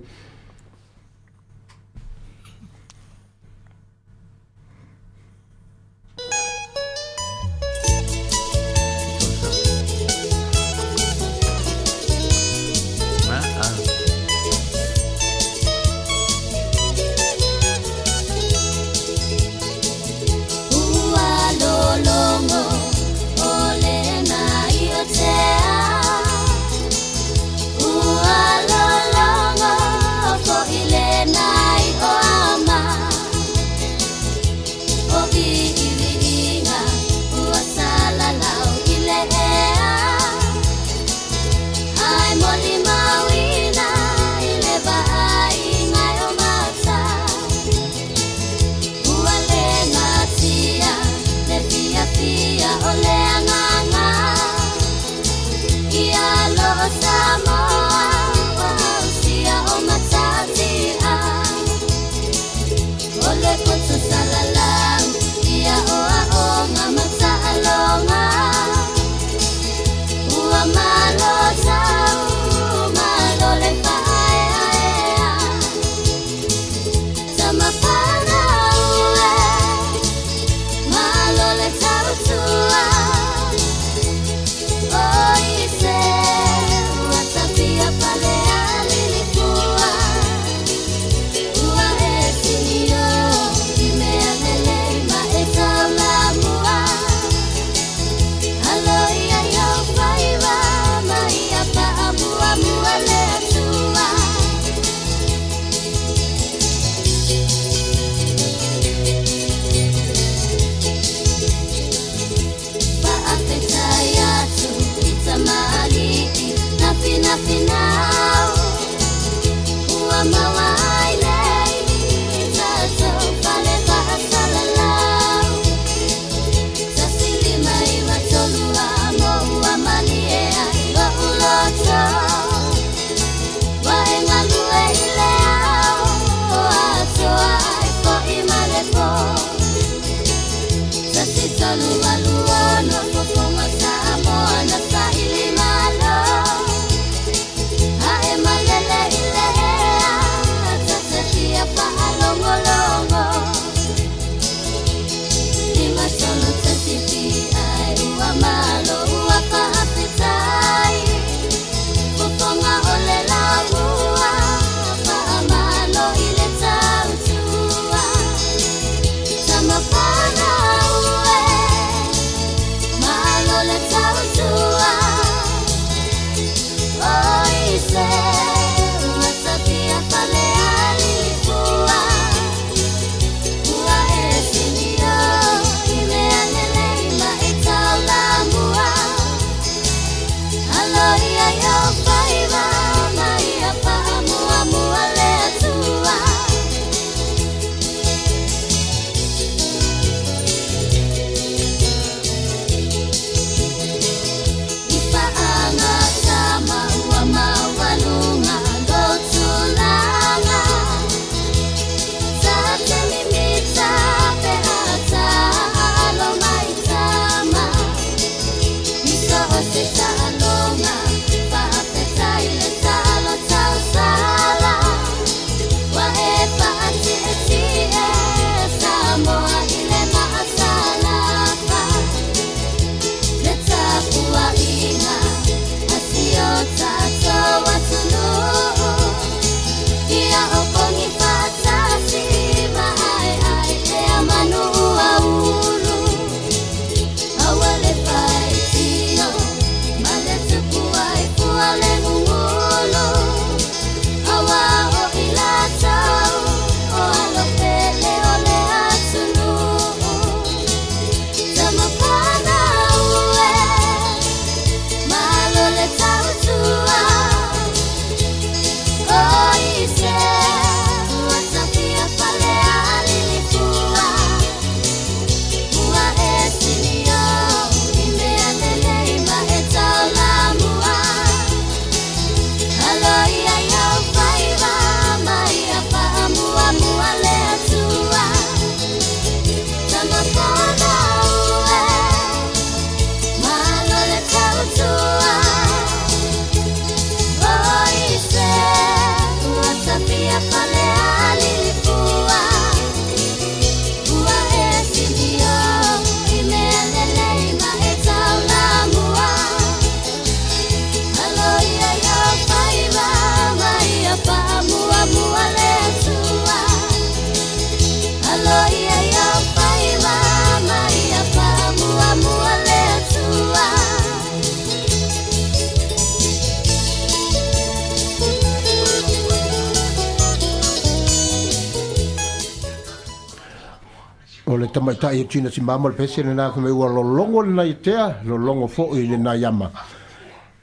O le tamaitai e tina si mama le pese le nā ua lolongo le nai tea, lolongo fo i le nai ama.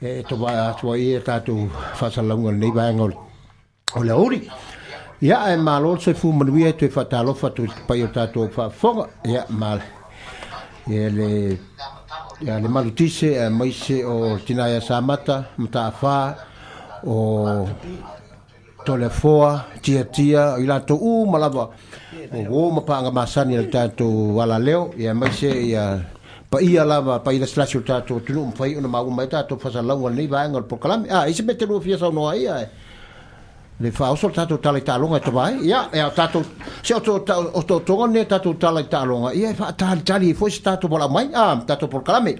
E to vai atua i e tātou whasalauga nei vaenga o le uri. Ia e malo se fu manuia e toe whatalofa tu pai o tātou whaafonga. Ia male. Ia le ia le malutise e maise o tinaia samata, mataawha, o tolefoa, tia tia, i latou u malava. O wo mapanga masani le tātou ala leo, ia maise ia pa ia lava, pa ia slash o tātou tunu mwhai ona mau mai tātou whasalauga nei vaenga o le pokalame. Ah, isi me te lua fia saunoa ia e. Le whaoso tātou tala i tālonga e tawai. Ia, e o tātou, se o tō tonga ne tātou tala i tālonga. Ia e whaatali tali e foi se tātou wala mai, ah, tātou pokalame.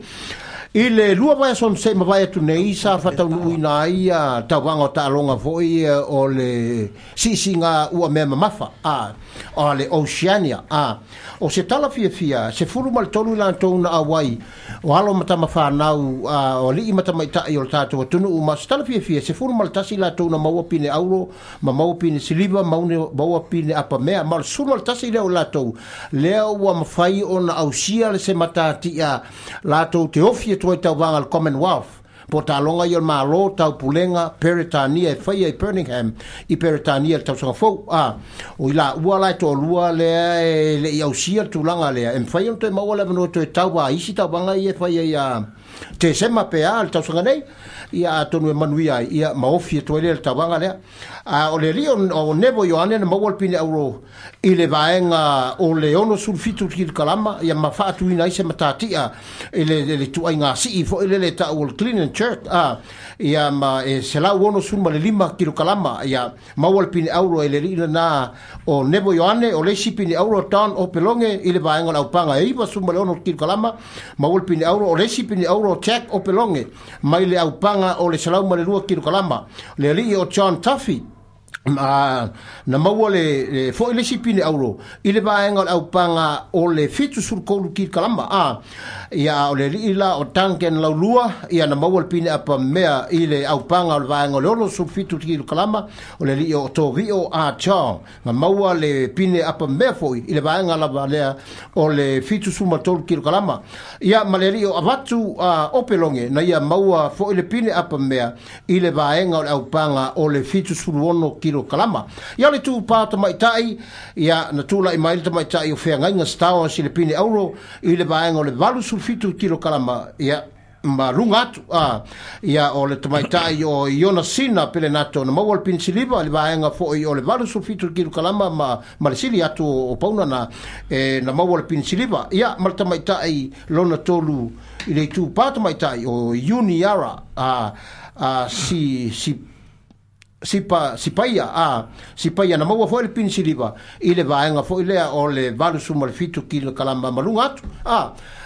I le lua vai son se mawai atu nei sa whataunu ina ia tauanga o tālonga foi o le sisi ngā ua mea mamafa a, o le Oceania a. O se tala fia fia, se furu mal tolu ila tōna a wai o alo matama whanau a, o lii matama itai o le tātou atunu ma se tala fia fia, se furu mal tasi ila tōna maua pine auro ma maua pine siliva maua pine apa mea ma le suru mal tasi leo lātou leo ua mawhai ona ausia le se matatia lātou te ofi e toi tau vanga le Commonwealth po tālonga i o malo tau pulenga Peretania e whaia i Birmingham i Peretania le tausanga fou a o i la ua lai tō lua lea e le i ausia le tūlanga lea e mwhai ono toe maua le manoa toe tau a isi tau vanga i e whaia i a Tesema pe a le tausaga nei, ia atonu e manuia ai, ia ma ofi e toe lea le tauaga lea. A o le alii o Nevo Ioane na maua le pine auro i le vaega o le 67 kilokalama, ia ma faatuina ai se matatia i le tuaiga sii foi lele ta'u o le clean and jerk, ia ma e 165 kilokalama, ia maua le pine auro e le alii lena o Nevo Ioane. O le isi pine auro Don Opeloge i le vaega o le aupaga e 96 kilokalama, maua le pine auro. O le isi pine auro Jack Opeloge mai le aupaga o le 102 kilokalama. Le alii o John Tuffy na maua le foi le isi pine auro i le vaega o le aupaga o le 73 kilokalama. Ia o le alii la o Duncan Laulua, ia na maua le pine apa mea i le aupaga o le vaega o le 67 kilokalama. O le alii o Tovio a Chong na maua le pine apa mea foi i le vaega lava lea o le 73 kilokalama. Ia ma le alii o Avatu Opeloge na ia maua foi le pine apa mea i le vaega o le aupaga o le 76 kilokalama. Ia le tūpā tamaitai, ia na tūlai mai le tamaitai o Feagaiga Stowers i le pine auro i le vaega o le 87 kilokalama, ia ma lunga atu. Ia o le tamaitai o Iona Sina Pelenato na maua le pine siliva i le vaega foi o le 87 kilokalama ma le sili atu o pauna na, na maua le pine siliva. Ia ma le tamaitai lona tolu i le tūpā tamaitai o Uniara si Sipaia, Sipaia na maua foi le pine siliva i le vaega foi lea o le 87 kilokalama ma lunga atu.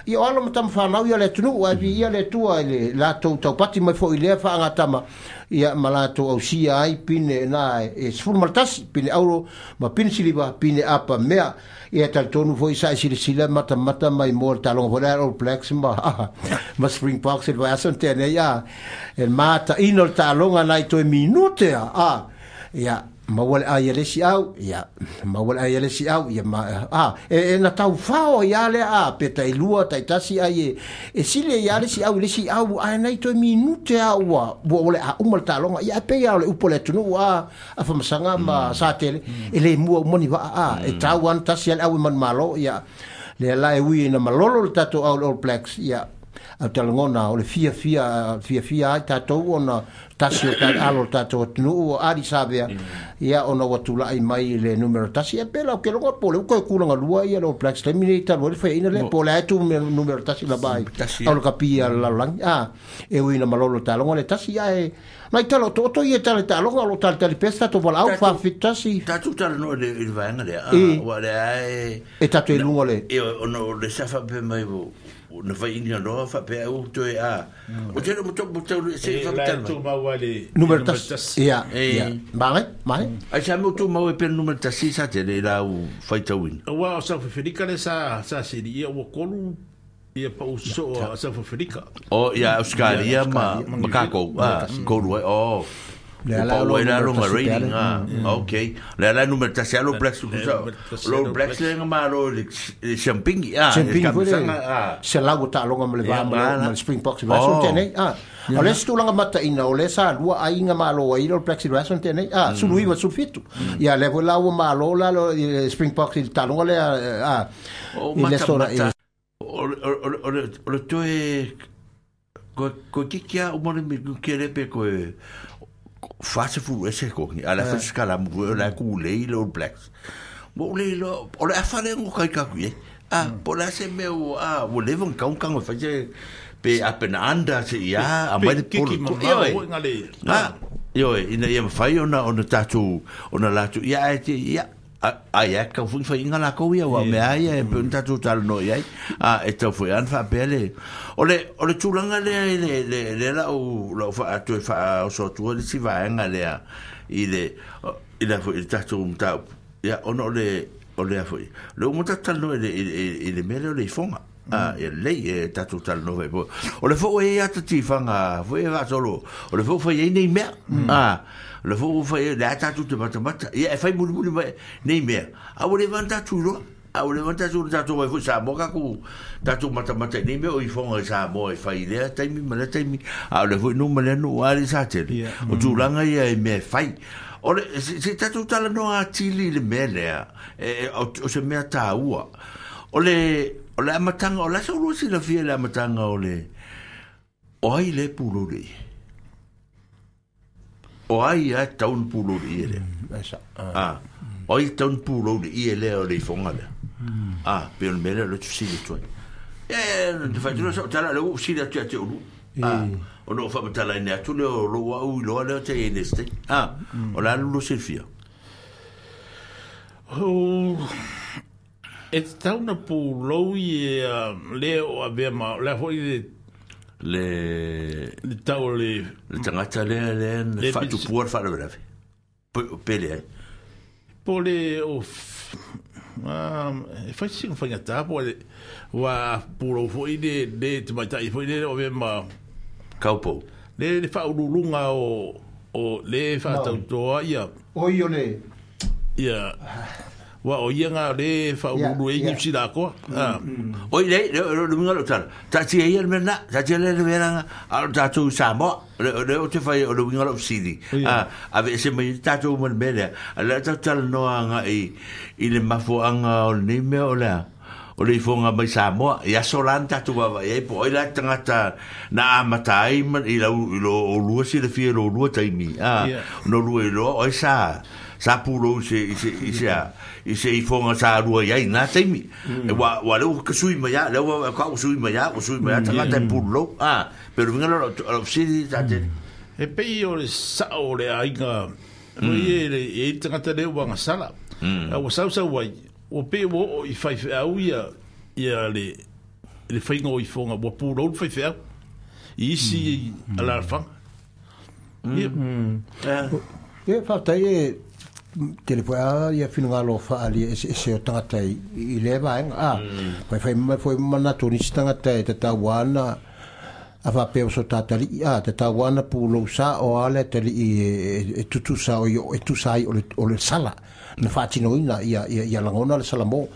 Ia o alo ma tama whanau ia le atunuu, ai vi ia le tua i le latou taupati mai foi lea whaangatama, ia ma latou ausia ai pine na e 11 pine auro ma pine siliva pine apa mea. Ia talitonu foi sa e silasila matamata mai mo le taloga foi lea All Blacks ma Springboks i le vaiaso na tea nei, e mataina o le taaloga nai toe minute ia maua le ai a le isi au, ia maua le ai a le isi au, ia ma e na taufao ia lea, pe tailua taitasi ai e sile ia le isi au, le isi au ai nai toe minute a ua ua le a uma le taaloga. Ia pe ia o le upu o le atunuu a famasaga ma sa tele e le mua umani vaa e tau ana tasi a le au e manumalo. Ia lea la e ui ina malolo le tatou au le All Blacks, ia au talagona o le fiafia ai tatou ona tasi o alo o tatou atunuu o Ali Savea, ia ona ua tulai mai le numero tasi. E pela o ke longa po le uka e kulaga lua ia le All Blacks taimi nei talu ai le faiaina lea po o le a e tu numero tasi lava ai au le kapia le lalolagi e ui ina malolo taaloga le tasi ae nai tala o toto ia tala taaloga o lo talitali pea se tatou valaau faafetasi tatou talanoa i le vaega lea ua le ae e tatou i luga le ona o le sa faapea mai na fai ina noa faapea au toe a o te mo to mo se faapea tu mau le numero tasi ia mai mai ai sa mo tu mau e pe numero tasi sa te le lau faitauina ua o South Africa le sa sili ia ua kolu ia pau so a South Africa o ia Australia ma Makako kolu ai o le ala o le longa rating okay le ala numero tasi alo Blacks lo Blacks le ngama lo le champagne se lau taaloga ma le va ma le Springboks i vaiaso tenei o le isi tulaga mataina o le sa lua aiga malo ai le All Blacks i le vaiaso tenei 19 17 ia le foi la ua malo la le Springboks i le taaloga lea i le aso o le toe koe kikia o mone mi kele pe koe fase fu ese ko ni ala fa skala mu la ku le le All Blacks mo le lo o le afale ngo kai ka ku a po la se me o a wo le von kaun kan fa se pe apen anda se ia a mai po yo ina ia fai ona ona tatu ona latu ia ia ai a ka fu fa inga la ko ia wa me ai e pe tatu tal no ia a e tau foi an fa pele o le tulanga le le la o la fa atu fa o so tu le si va nga le i le i la foi tatu ta ia ono le o le foi le mo tatu no le le mele le fonga e lei e tatu tal no foi o le foi ia tati fanga foi va solo o le foi foi nei mea le fo fai le tatu te matamata ia e fai muli mai nei mea a o le vanta tu lo a o le vanta tu tatu mai foi sa mo ka ku tatu matamata nei mea o i fonga sa mo e fai le taimi ma le taimi a o le foi no ma le no a le sa te o tulaga ia e mea fai o le se tatu tala no a tili le mea lea e o se mea tāua o le amatanga o la sa ulu si la fia le amatanga o le O ai le pulou le ie. O ai a tau na pulou le ie lea. A, o ai tau na pulou le ie lea o le ifoga lea. A, pe o le mea lea o le fesili atu ai. E, te whai tuna sa o tala le ua fesili atu ia te ulu. A, o no whamatala ine atu lea o lou au i loa lea o te i nei ste. A, o la lulu silfia. O, e tatau na pulou i e le o avea ma, lea foi le Le le tau o le le tagata lea lea na Le faatupua le faalavelave. Pe leai. Po le o e fai sina faigata po le ua pulou foi le le tamaitai foi le o avea ma Kaupou. Le le faauluuluga o o le faatautoa ia Oi o le ia ua o ia nga le faauluulu ai Niu Sila atoa. Oi le le le winga lo tala. Taatia ia le mea lena, taatia le le mea lena, a o tatou i Samoa, le le o te fai o le winga lo fesili. A aveese mai ai tatou ma le mea lea. A o lea tatou talanoa agai i le mafuaaga o lenei mea o le a? O le ifoga mai Samoa, i aso la na tatou vaavaai ai po o ai la le tagata na amata ai ma i lau i lo oulua silafia i lo oulua taimi, a, ona oulua iloa o ai sa sa pulou i se i se i se a i se ifoga sa alua i ai i na taimi. Ua ua lea ua sui mai lava, lea ua ua sui mai lava, ua sui mai lava tagata e pulou, a, pei o le uiga lea o lau fesili sa tele. E pei o le sao o le aiga foi e i ai le tagata lea ua agasala, a ua sausau ai, Ua pei ua oo i faifeau ia ia le le faiga o ifoga ua pulou le faifeau i isi alaalafaga. Ia. Ia, faafetai e tele foi a ia finagalo faaalia eseese o tagata i, i lea vaega. A, faifai mai foi manatu o nisi tagata e tatau ana a faapea o so tatalii, a, tatau ana pulou sa o a le atalii e, e, e tutusa o i, e tusa ai o le, o le sala na faatinoina ia, ia, ia lagona le salamo.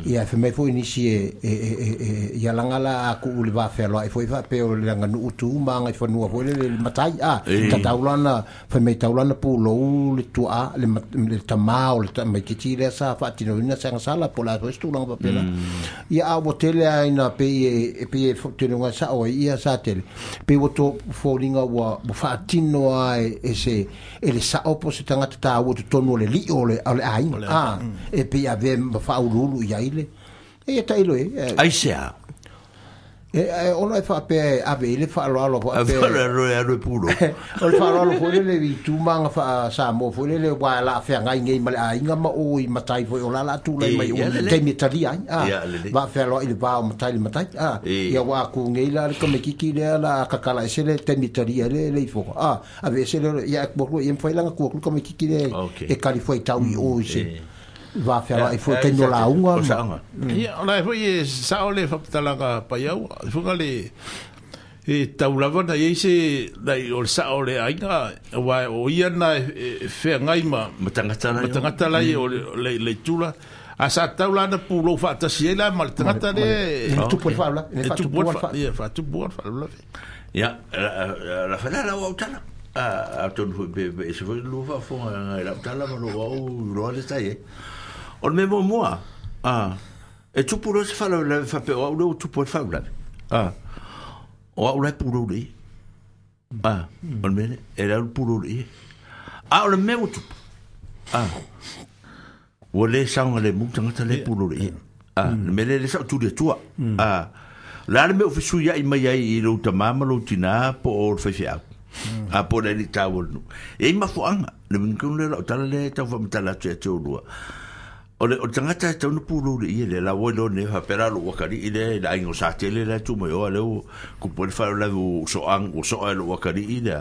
Ia e fai mai foi nisi e, e, e, e, e ia laga la a kuu le va fealoai foi faapea o le aganuu tu ma agaifanua foi lele le matai, a, tatau la ona fai mai tau la ona pulou le tuaa le, le tamā o le tamaitiiti lea sa faatinoina se agasala po o le a foi se tulaga faapena. Ia a ua tele lava ina pei e, pei e tele o ngai sao ai ia sa tele, pei ua to foliga ua, ua faatino lava e, e se e le sao po o se tagata taua i totonu o le lio o le, o le aiga, a, e pei e avea ma faauluulu i ai le, e tailo e, e, Aisea? E, e, ona e faapea e ave i le faaaloalo faapea. Ave e alu e pulou. O le faaaloalo foi lele i tumaga faa-Samoa foi lele aua o le a feagai nei ma le aiga ma o i matai foi o la o le a tulai mai o taimi e talia ai. A, vaafealoai i le va o matai i le matai. A, ia ua aku nei la le tamaititi lea o le a tatala ese le taimi e talia ai le ifoga. A, ave ese le, ia e atu ia mafai la ona tu atu le tamaititi lea e kali fuaitau i o i se vaafealoai foi taimi o lauga. O saoga. Ia, o la foi e sao le faamatalaga Paiau, foi le e tau lava na i ai se nai o le sao o le aiga, aua o ia na e feagai ma ma tagata la ma tagata la o le le itula. A sa tau la na pulou faatasi ai la ma le tagata le e tupu le faalavelave, e tupu le ia faatupu le faalavelave. Ia, la fai la au tala. A atonu foi pe pe ese foi lua faafofoga i lau tala ma lou au iloa le tai ai. O le mea muamua, a, e tupu loa se faalavelave faapea o au lea ua tupu ai le faalavelave. A, o au la e pulou le ie. A, o le mea lea, e le au le pulou le ie. A o le mea ua tupu, a, ua le saogalemu le tagata lea e pulou le ie. A, le mea lea lea sa ou tuli atua. A, o le a le mea o fesuiai mai ai i lou tamā ma lou tinā po o le faifeau. A po o le alii taua o le nuu. E i ai mafuaaga, le uiga tonu lea o lau tala lea e tau faamatala atu ia te oulua. O le, o le tagata e tatau ona pulou le ie lea, la ua iloa nei faapea la lou atalii lea i le aiga o Satele la e tu mai oa lea ua tupu ai le faalavelave ua soa, ua soa e lou atalii lea.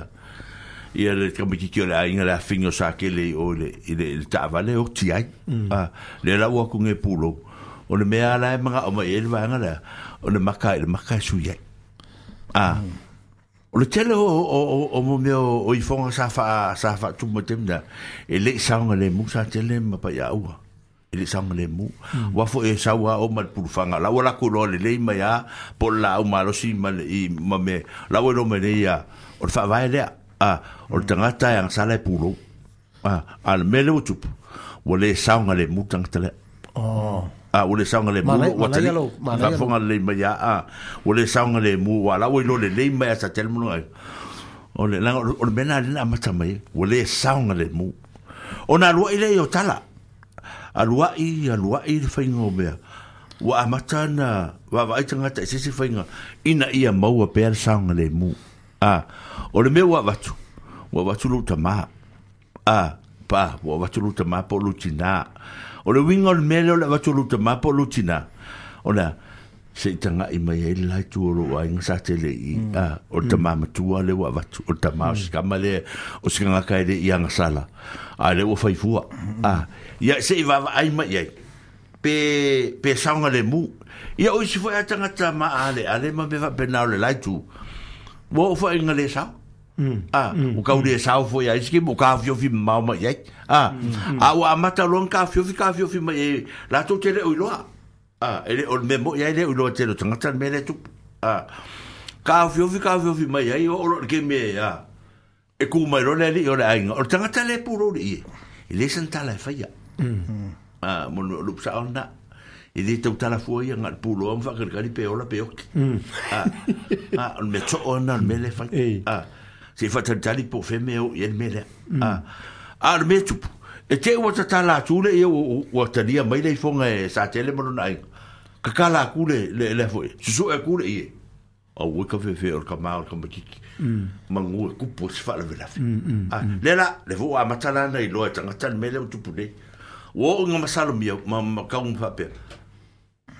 Ia le tamaititi o le aiga le afine o Satele i o i le, i le, i le taavale e oti ai. A, lea la ua atu nei pulou. O le mea la e manao mai ai le vaega lea, o le maka i le maka e sui ai. A, o le tele o, o, o, o mo mea o, o ifoga sa faa, sa faatumu mai taimi lea, e le i saogalemu Satele ma Paiaua. E le i saogalemu. Aua foi e sau lava o ma le pulufaga, la ua latou iloa lelei mai lava po o le laau malosi ma le i ma mea, la ua iloa mai nei ia, o le faavae lea, a, o le tagata e agasala e pulou. A, a o le mea lea ua tupu, ua le saogalemu le tagata lea. Oh. A ua le saogalemu lou atalii, faafofoga lelei mai lava, a ua le saogalemu, aua o la ua iloa lelei mai lava e Satele ma lona aiga. O le, leaga o le mea lena lea na amata mai ai, ua le saogalemu. Ona aluai lea o tala, aluai, aluai le faiga o mea, ua amata ona vaavaai tagata i se isi faiga ina ia maua pea le saogalemu. A, o le mea ua avatu, ua avatu lou tama, A, pa, ua avatu lou tama po o lou tinā. O le uiga o le mea lea o le avatu o lou tama po o lou tinā, o le a? Se i taga'i mai ai le la itu o lou aiga sa tele i, a, o le tama matua lea ua avatu, o le tama o si tama lea, o si tagata e le i agasala, a lea ua fai fua. A, ia se i vaavaai mai i ai, pe, pe saogalemu. Ia o isi foi a tagata maaleale ma mea faapena o le la itu, ua oo foi ina le sao. A, ua tau le sao foi a isi taimi ua taofiofi mamao mai i ai. A, a ua amata loa ona taofiofi, taofiofi mai i ai, latou te le o iloa. A, e le o le mea moni lava e le o iloa e le tele o tagata le mea lea e tupu. A, taofiofi, taofiofi mai ai, oo loa i le taimi e, a, e tu mai loa le alii o le aiga, o le tagata lea e pulou i le ie, e leai sana tala e faia. A, mo le upu sao lena. E le tau tala fua ia, na o le puloa ma faakalikali pe ola pe oki. A, a, o le mea too lena o le mea lea e fai. A, se i faatalitali po o fea mea e oo i ai le mea lea. A, a o le mea e tupu, e te i ua tatala atu le ia ua talia mai le ifoga e Satele ma lona aiga. Tatala atu le, le, le foi, susue atu le ie. Aua ka fefe o le tama o le tamaititi. Manu e kupu ai se faalavelave. A, lea la, lea foi ua amata la ona iloa e tagata le mea lea ua tupu nei. Ua oo ina masalomia ma, ma tau ma faapea,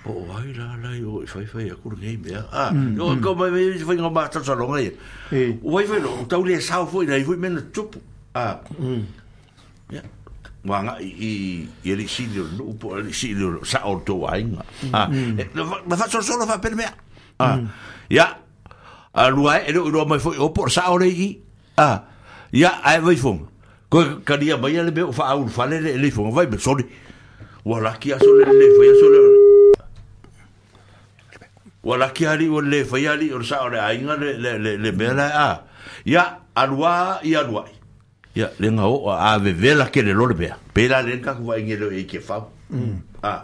po o ai la la i o i faifai atu lenei mea. A, o kau mai mai se faiga o masalosaloga ia. Ua faifai loa, ua tau le sao foi nai foi mea na tutupu. A, ia, ua agai i, i alii sili o le nuu po o alii sili o le sao o le tou aiga. A, e, na faasolosolo faapea le mea. A, ia, alu ae, e le o iloa mai foi o po o le sao le i i. A, ia, ae vai fonga. Koe kalia mai le mea o faaulufale le, le ifoga, vai me soli. Ua laki aso le le fai aso le. Ua laki ali ua le fai ali o le sao le aiga le, le, le, le mea la a. Ia, alua i aluai. Ia, le nga o a vevela tele loa le mea. Pēlā lea na tatou vaai nei i Tiafau. A,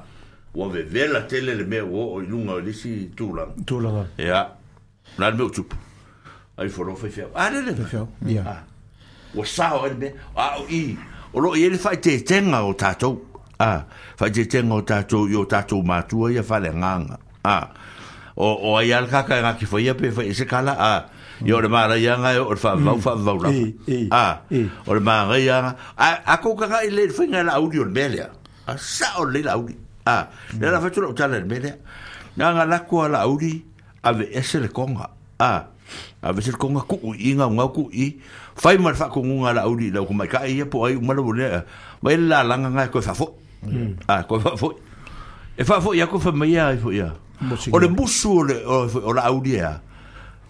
ua vevela tele le mea ua oo i luga o le isi tulaga. Tulaga. Ia, o le a le mea ua tupu? Ai fua loa faifeau. A lele. Faifeau, ia. A, ua sao ai le mea. A o i, o lo o i ai le faaeteetega o tatou. A, faaeteetega o tatou i o tatou matua ia faaleagaga. A, o, o ai lava le kaka e gati faia pe fai ese kala, a, ia o le manaia e o le faavavau, faavavau lava. A, o le manaia a, a kou tagai lelei i le faiga e Laauli o le mea lea, a sao lelei Laauli. A, lea la fai atu lau tala i le mea lea. Na ona lako a Laauli, aveese le koga. A, aveese le koga, tuu i i, gaugau tuu i i, fai ma le faatonuga a Laauli i lau tamaitai ia po o ai uma lau lea, vaai le lalaga na e toe faafoi. A, toe faafoi. E faafoi atu fai mai ia ifo ia. O le musu o le o Laauli e a.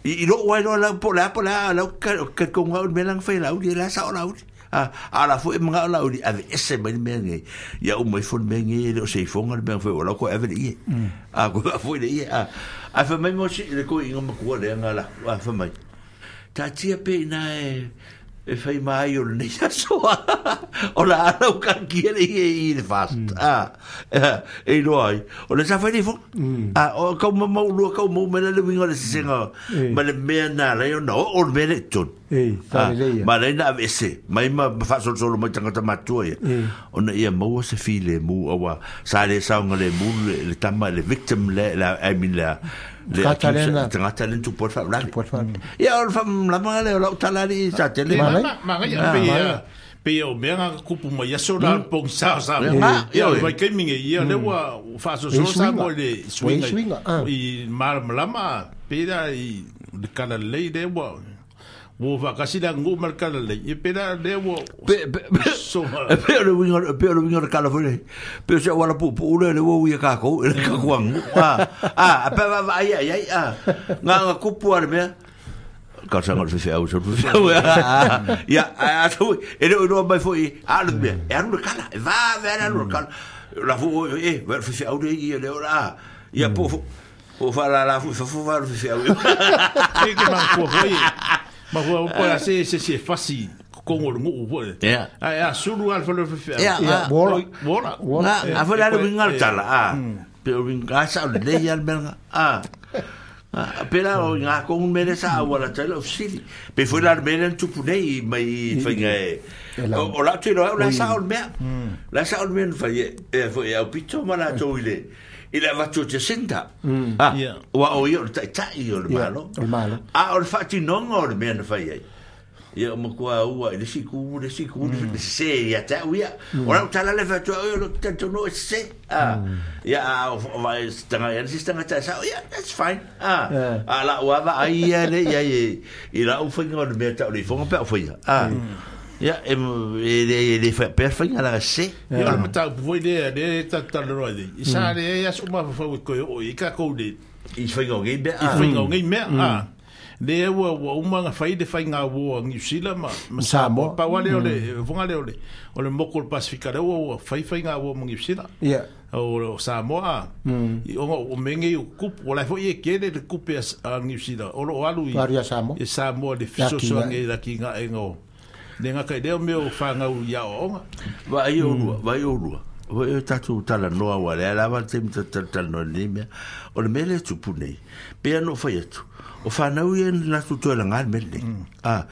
I lou ai loa lau po o le a po o le a lau talitonu au i le mea la na fai e Laauli, la e sao Laauli. A, a o la foi e manao Laauli e aveese mai le mea lenei, ia uma ifo le mea lenei e le o se ifoga le mea na fai ua lau toe ave le ie. A, toe faafoi le ie. A, ae fai mai mo si le toeaina matua lea na alu atu, a, fai mai, Taatia pea i ina e e fai ma ai o lenei aso. O la a lau kakia le ie i le fast. A, e iloa ai. O le sa fai le ifoga. A, o kau mamau lua kau mau mai la le uiga o le sesega ma le mea na ala ai ona oo le mea lea i totonu. Sa lelei ia. Ma ala ai na aveese mai ma faasolosolo mai tagata matutua ia. Ona ia maua se filemu aua sa le saogalemu le tama le victim le, I mean le, le Tagata lea na- tagata lea na tupu ai le faalavelave. Tupu ai le faalavelave. Ia o le faamalamalamaga lea o lau tala alii sa tele. Manaia. Manaia, pei a pei o mea na tupu mai aso la pogisa o Samoa. Nga, Ia o ioe. vaitaimi nei, ia lea ua faasolosolo E i suiga. Samoa i le Ua i suiga suiga, ah. i malamalama pei la i le talalelei lea ua ua faatasi le aganuu ma le talalelei. Ia pei la lea ua Pe, pe, pe, soma. e pei o le uiga, e pei o le uiga o le tala foi lea. Pei o se auala puupuu lea, lea ua uia kākou e le tatou aganuu. A, a, a pe a vaavaai ai ai, a, na ona tupu lava le mea, talosaga o le faifeau, sau le faifeau, a, ia, ae a sau, e le o iloa mai foi, a o le mea, e alu le tala, e vave lava le alu o le tala. O la foi ua, e, vaai o le faifeau lea e i i, lea o le a, ia po o, po o faalala foi i fafo, vaai o le faifeau. Ke ke manatua foi, manatua foi po o le a se se isi e fasi. tongo le nuu foi. Ia. Ai a sulu al fale fe. Ia, Ia, ua ola. Ua ola. Na, a foi la le uiga o le tala, a. Pe o uiga, a sao lelei lava le mea lena, a. A, pe la o ngā kongu mea lea sa auala tai lau fesili. Pe foi la le mea lea na tupu nei mai i faiga e... O, o lau te iloa au la sao le mea. La sao le mea na fai e, e foi e aupito ma latou i le i le avatu o Jacinda. Ah, Ia. ua o ia o le taitai o le Ia, Malo. o le Malo. A o le faatinoga o le mea na fai ai. Ia o matua ua i le isi itu, le isi itu, le sese ia te au ia. O lau tala le whatua, o lo talitonu e sese. Ah, ia, a, o vai tanga ia, le tangata e sao, ia, that's fine. Ah, Yeah. a la ua va ai ia le ia i i lau whainga o le mea tau le ifonga pe au whaia. Ah, ia, e, e, le, e le whaia pea whainga la sese. Ia o le mataupu foi lea, lea e tatalanoa ai nei. I sa le ai aso mafafau e koe oo i kākou le I whainga o ngei mea. i whainga o ngei mea. Ah. Lea ua ua uma nga fai le whainga ua New Zealand ma, ma Samoa. Samoa. Pau le o le fonga le o le o le moko o le Pasifika lea ua ua fai whainga ua ma New Zealand. Ia. O, o Samoa. I onga o menge o kupu. O lai foi e kele le kupe a, a New Zealand. O lo o alu i, Alu ia Samoa. i Samoa le Laki fisoso nga. nge laki nga e ngō. Le ngā kai leo meo whangau i ao onga. Vai o lua, vai o lua. Vai o tātou tala noa wa lea lava te mita tala tala noa nei mea. O le mea le tupu nei. Pea no whai atu. O whanau ia ni latu toe la ngā le mea nei. Ah,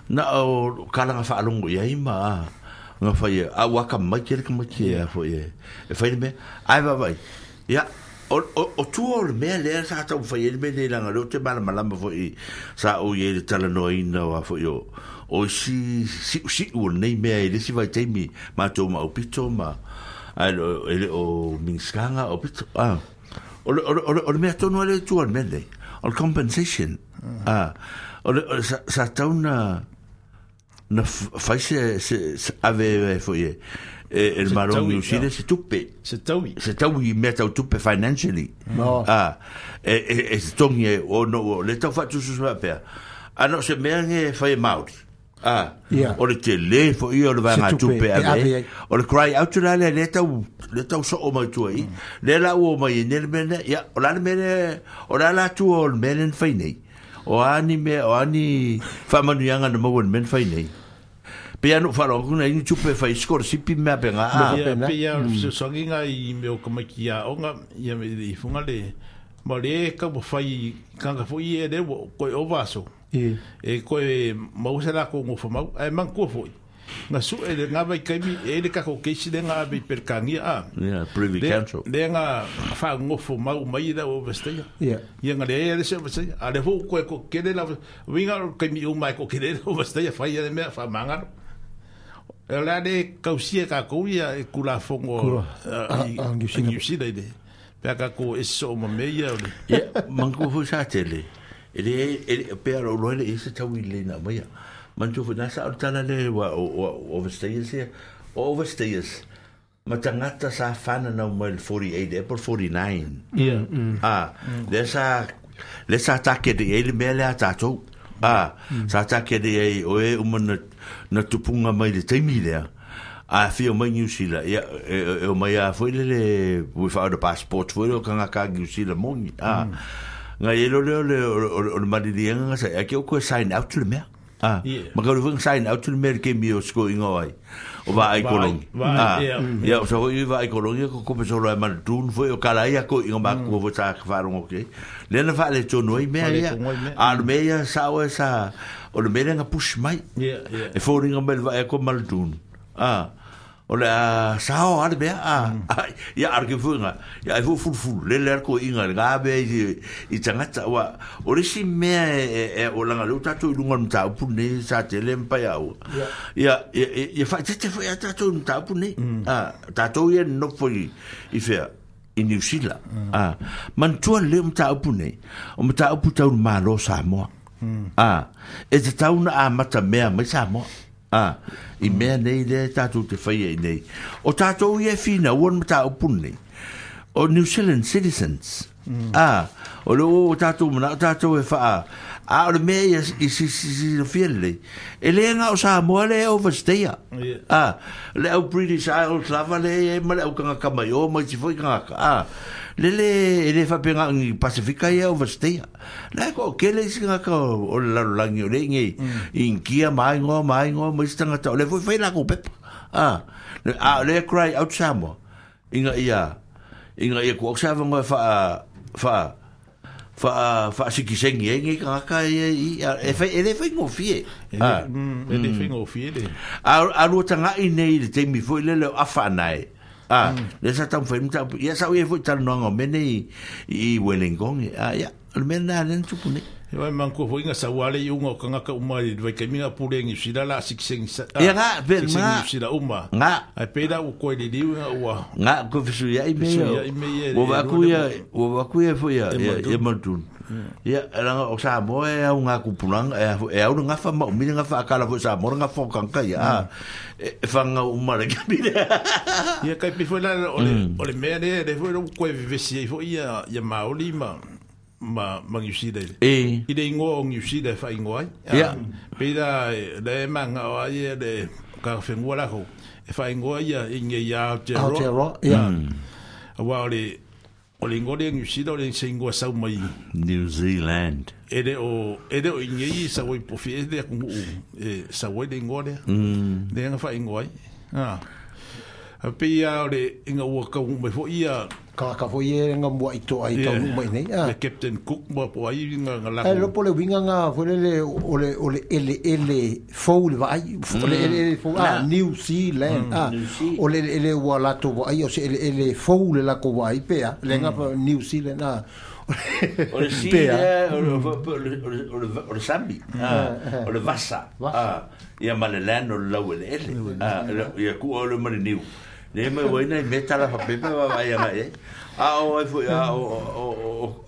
na o kalanga whaalongo ia ima. Ah, ngā whai e, a waka mai kere ka mai ke a foi e. E whai le mea, ai vai vai. Ia, o, o, o tua o le mea lea sa tau whai e le mea nei langa leo te mala malama foi sa o i e le tala noa ina wa foi o o si si si o nei mea e le si vai teimi mātou ma o pito ma ai lo e le o minskanga o pito ah o le o le o le, o le mea tonu ale tua le mea nei o le compensation ah o le o, sa, sa tau na na fai se se, se ave e foi e e, e le Se malo taui, New Zealand ia. se tupe Se taui. se tau i mea tau tupe financially. No. Ah, e, e, e se tongi e, o no, o, le tau whatusu sua pea. Ano se mea nge whai e Māori. Ah, Ia. o le te le fo ia o le vaenga Se tupe tupe e ave. ave ai. O le cry out la le le tau, le tau so o mai tua i. Le la ua mai e ne le mea ne, ia, o la le mea ne, o la la tua o le mea ne whai nei. O ani mea, o ani whamanuianga na maua le mea ne whai nei. Pe anu wharo, kuna ini tupe whai skorosipi mea pe ngā. Ah. Ia, pena. pe ia o le fesoasoagiga i mea o tamaiti aoga, ia me le ifoga le ma le ka ua fai kanga foʻi ia le ua koe ova aso. Ia. E koe maua se lakou gofamau, ae manatua foʻi. Ga suʻe le gava i kaimi, e le kakou keisi le ga ave i Pelekania a. Yeah, Privy Le- Council. Le ga faagofo mau mai le au overstaia. Ia. Ia ga leai le se overstaia. A le foʻu koe kokele la uiga o le kaimi uma e kokele le overstaia fai ia le mea faamagalo. E o le a le kausia kakou ia e kulafogo Kula. i A- a New Zealand. New Zealand i le. Pe a kakou e soo ma mea ia o le. Ia, manku foi sa tele. E le, e le, pe ara o loe le e se tau i le na maia. Mantu foi nasa o le tala le wa, o, o, overstayers ia. O overstayers. Ma tangata sa whana nau mai le 48, April 49. Ia. Ah, le sa, le sa take de e le mea le a tātou. Ah, sa take de e o e uma na, na tupunga mai le taimi lea. A whio mai New Zealand, ia, e, e, e o mai a foi le le, without a passport foi le o kanga ka New Zealand mongi. Ah, ngā e lo leo le, o, o, o le marilianga nga sa, e ke o koe sign out le mea. Ah, Yeah. ma ka ruweng sign out le mea le ke mi o sko inga ai. O va ai Vai- kolongi. vai, Ah, ia. ia, o sa hoi va ai kolongi, ko kope solo ai mana tūn foi, o kala ia ko inga mā kua foi sa wharongo ke. Lena wha le tonu ai mea ia. Whaale tonu ai mea. A le mea ia sa oe sa, o le mea lenga push mai. Ia, ia. E fōringa mai le vae ko mana tūn. Ah, o le a sao a le mea, a, a, ia ara ke fuinga, ia ai fu fulu fulu, le le ara ko inga, le ngā mea i, i tangata, wa, o le si mea e, e, e o langa leo tātou i lunga o mataupu nei, sa te le mpai au. Ia, ia, ia, ia whaitete foi a tātou i mataupu nei. Ah, tātou ia nofo i, i whea, i New Zealand. Ah, manatua leo mataupu nei, o mataupu tau le Malo Samoa. Ah, e te tau na a mata mea mai Samoa. Ah, i mea nei le tātou te whai ai nei. O tātou i e whina, ua mataupu nei. O New Zealand citizens. Ah, O le ua tatou mana'o tatou e fa'a a o le mea ia i silafia lelei, e lē ga'o Samoa lea e overstaya. A, le au British Isles lava lea e i ai ma le au tagata mai o ma isi foi tagata, a, le lē e lē faapea ga'o ni Pasefika ia e overstaya. La e to'atele isi tagata o le lalolagi o lea i inei i Initia ma a igoa ma a igoa ma isi tagata o lea foi e fai latou pepa. A, a o lea e cry out Samoa ina ia ina ia tuu atu se avanoa e faa faa faa faasikiseni ai nei tagata ia i e fai e le faigofie. E le, e le faigofie le. A a lua taga'i nei i le taimi foi lele o afa anae. A, lea sa taumafai ai le mataupu. Ia sa ou i ai foi i talanoaga o mea nei i Welengong. A, ia, o le mea lena lea na tupu nei. E wai manatua foi na sau lava le iuga o tagata uma i le vaitaimi na pule Niu Sila la sikiseni Ia nga, pe sikiseni nga. Niu Sila uma. Nga. Ae pei la ua toe liliu ina ua Nga, ko fesuiai mea ia. Fesuiai mea ia Ua e vaai atu lua ia, le- ua vaai atu ia foi ia, E ia, Muldoon. ia Muldoon. Ia, leaga o Samoa e au ngā tupulaga, e a- e au le gafa ma umi le gafa, a kala foi Samoa le gafa o tagata ia, a, e e fagau uma le taimi lea. Ia kai pei foi la o le o le mea lea lea foi ua toe vevesi ai foi ia ia Maori ma ma ma Niu Sila i le E. i le ingoa o Niu Sila e faaigoa ai. Ia. Pei la lea e magao ai ia le tagata lakou e faaigoa ia i nei ia Aotearoa. Aotearoa, ia. Auā o le o le ingoa lea Niu Sila o le se ingoa sau mai New Zealand. e le o e le o i nei sau ai po fia le atunuu e sau ai le ingoa lea. Lea na faaigoa ai. Ah. A pei lava o le ina ua taunuu mai foi ia Kāka foi e ngā mua i toa i taunuu mai nei. le Captain Cook ma po ai nga nga Ai lakou. lopo le winga ngā foi lele o le o le ele ele fou le vaai o le ele ele fou ah New Zealand ah o le ele ua latou vaai o se ele ele fou le lakou vaai pea le ngā New Zealand ah O le si pea lea, o le o le o le o le o le sami, ah, o le vasa, ah, ia ma le land o le laueleele, ah, ia ku'a o le ma le niu. Le mai ua ina i mea tala fapepa vaavaai agai ai. A o ai foi a o o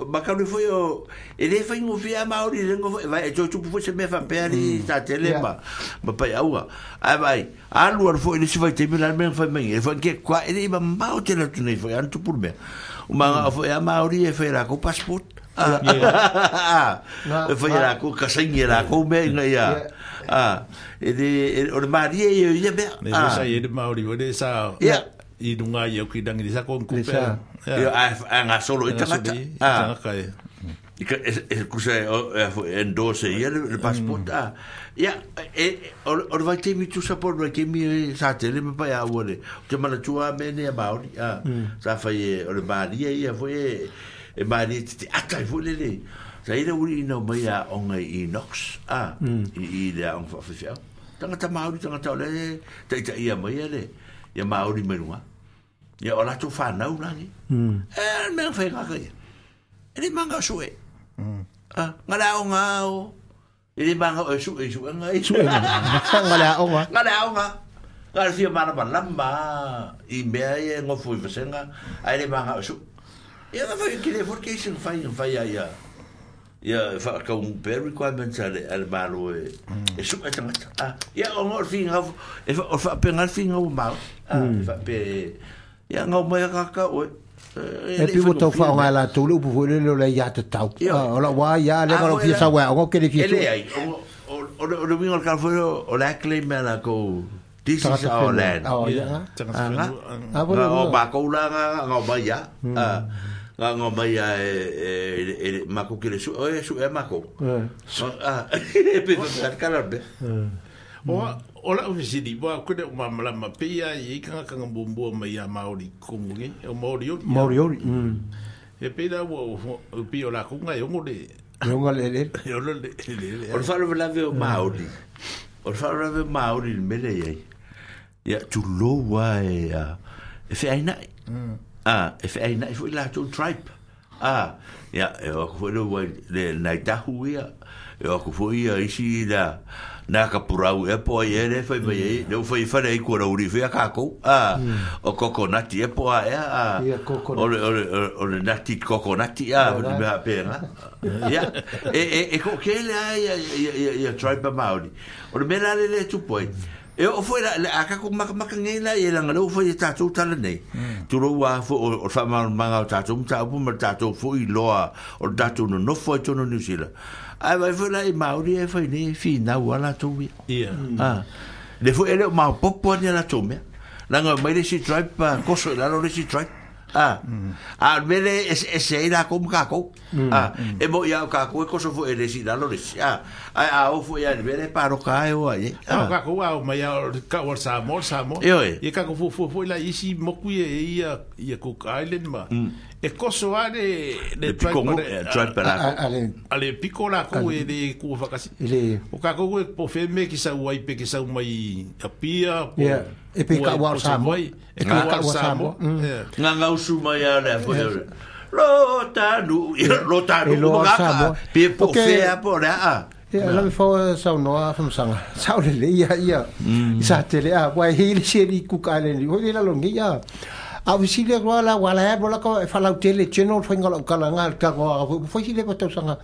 o makalu foi o e lē faigofie a Maori le lengo foi vai e toe tupu foi se mea faapea alii sa tele ma ma paiauga. Ae vaai alu alu foi i le isi vaitaimi la le mea na fai mai ai foi ke kua e le'i mamao tele atu nei foi ana tupu le mea. O maga'o foi a Maori e fai e lakou passport. Ah, e fai e lakou kasaigi e lakou mea ina ia ah, e le o le malie ia o ia mea. Le foi sa i ai le Maori foi lea sa Ia. i luga i au ki rangi le sa ko Le sa. Ia a a gasolo i tagata. Ah. tagata e. I ka e e kusa e o e foi endorse ia le le passport a. Ia e o o le vaitaimi tusa po o le vaitaimi e sa tele ma paia ua le. O te manatua a mea nei a Māori a. Sa fai e o le malie ia foi e e malie te te ata ai foi lele. Sa i le uli ina mai a onga i Knox a i i le aoga faafeafeau. Tagata Māori tagata o le taitaia mai ia le ia Māori mai luga. Ia o latou whanau lagi. E le mea whai ngaka ia. E le manga o sue. Ah, ngā le aonga o. E le manga o e sue, sue ngā i. Sue ngā le aonga. Ngā le aonga. Ngā le fia mana malama i mea ia e ngofo i vasenga. A e le manga o sue. Ia ngā whai ki le fori keisi ngā whai ngā whai a ia. Ia whakau pē requirements a le, a le malo e, e sue tangata. Ah, ia o ngā o le whingau, e wha, o whaape ngā le whingau o Māori. Ah, e whaape, ia ngau mai a kaka oe. E pi ua tau whaonga e latou le upu foi lele o le ia te tau. Ia. O la wā ia le ngā fia sau e aonga ke le fia E le ai, o le o le winga o le kala foi o le a claim mea la kou, this is Tagata our whenua. land. Oh, ia nga. Tagata Ah, nga. whenua. Ah, Nga o bo- mākou la nga nga mai ia. Ah, Nga nga mai ia e e e mākou ki le su e su e mākou. Ah, e pe fa kala be. O o lau fesili, ua koe le o malamalama pei a i ai tagata na muamua mai iā Māori komu nei, o Māoriori. Māoriori. E pei la ua o pei o lakou ga e ogo le Le onga le le. e ono le le le. O le faalavelave o Māori. O le faalavelave o Māori i le mele iai. Ia tulou a e a e feaina'i. Ah, e feaina'i foi latou tribe. Ah, ia e o aku foi le ua le nai tahu ia. E o aku foi ia isi la nā ka purau e po ai e le fai mai ai, le u fai whare ai kua rauri whea kākou. Ah, o kokonati e po a ea. Ah, Ia, kokonati. O le, o le, o le nati kokonati a, o le mea pēnga. Ia, e, e, e ko kele a ia, ia, ia, ia tribe a Māori. O le mea la le le tupu ai, E o foi la a ka ko maka maka nei la e langa lo foi tātou tala nei. Turo ua fo o fa ma manga o tātou mta upu ma tātou fo i loa o tātou no no foi tono New Zealand. Ai vai foi la i Maori e foi nei fi na ua la tou ia. Ia. Ah. Le foi ele ma popo ni la tou mea. Langa mai le si tribe pa koso la lo le si tribe. Ah. A mele es e la ko ka ko. Ah, e mo ia ka ko ko so fo ele si la lo le si. Ah, ai a o fo ia le mele pa ro ka e o ai. Ah, ka ko au mai au ka o Samoa, Samoa. Ioe. Ia ka ko fu fu la isi moku ia ia ia Cook Island ma. E koso a le Le piko tribe pa la. A le piko la ko e le ku whakasi. O ka ko e po wheme ki sau ai pe ki sau mai Apia. Ia, e pe ka ua o Samoa. E ka ua o Samoa. Ngā ngausu mai a le fo. Lo tanu, lo tanu. Pe po whea po le a. Ia, la me fau sau noa whamsanga. Sau le le ia, ia. I sa tele a, wai hei le seri Cook Island. Hoi le lalongi ia. A visile roa la wala e rola ko e whalau tele general whainga lau kala ngā tango a foi sile ko tausanga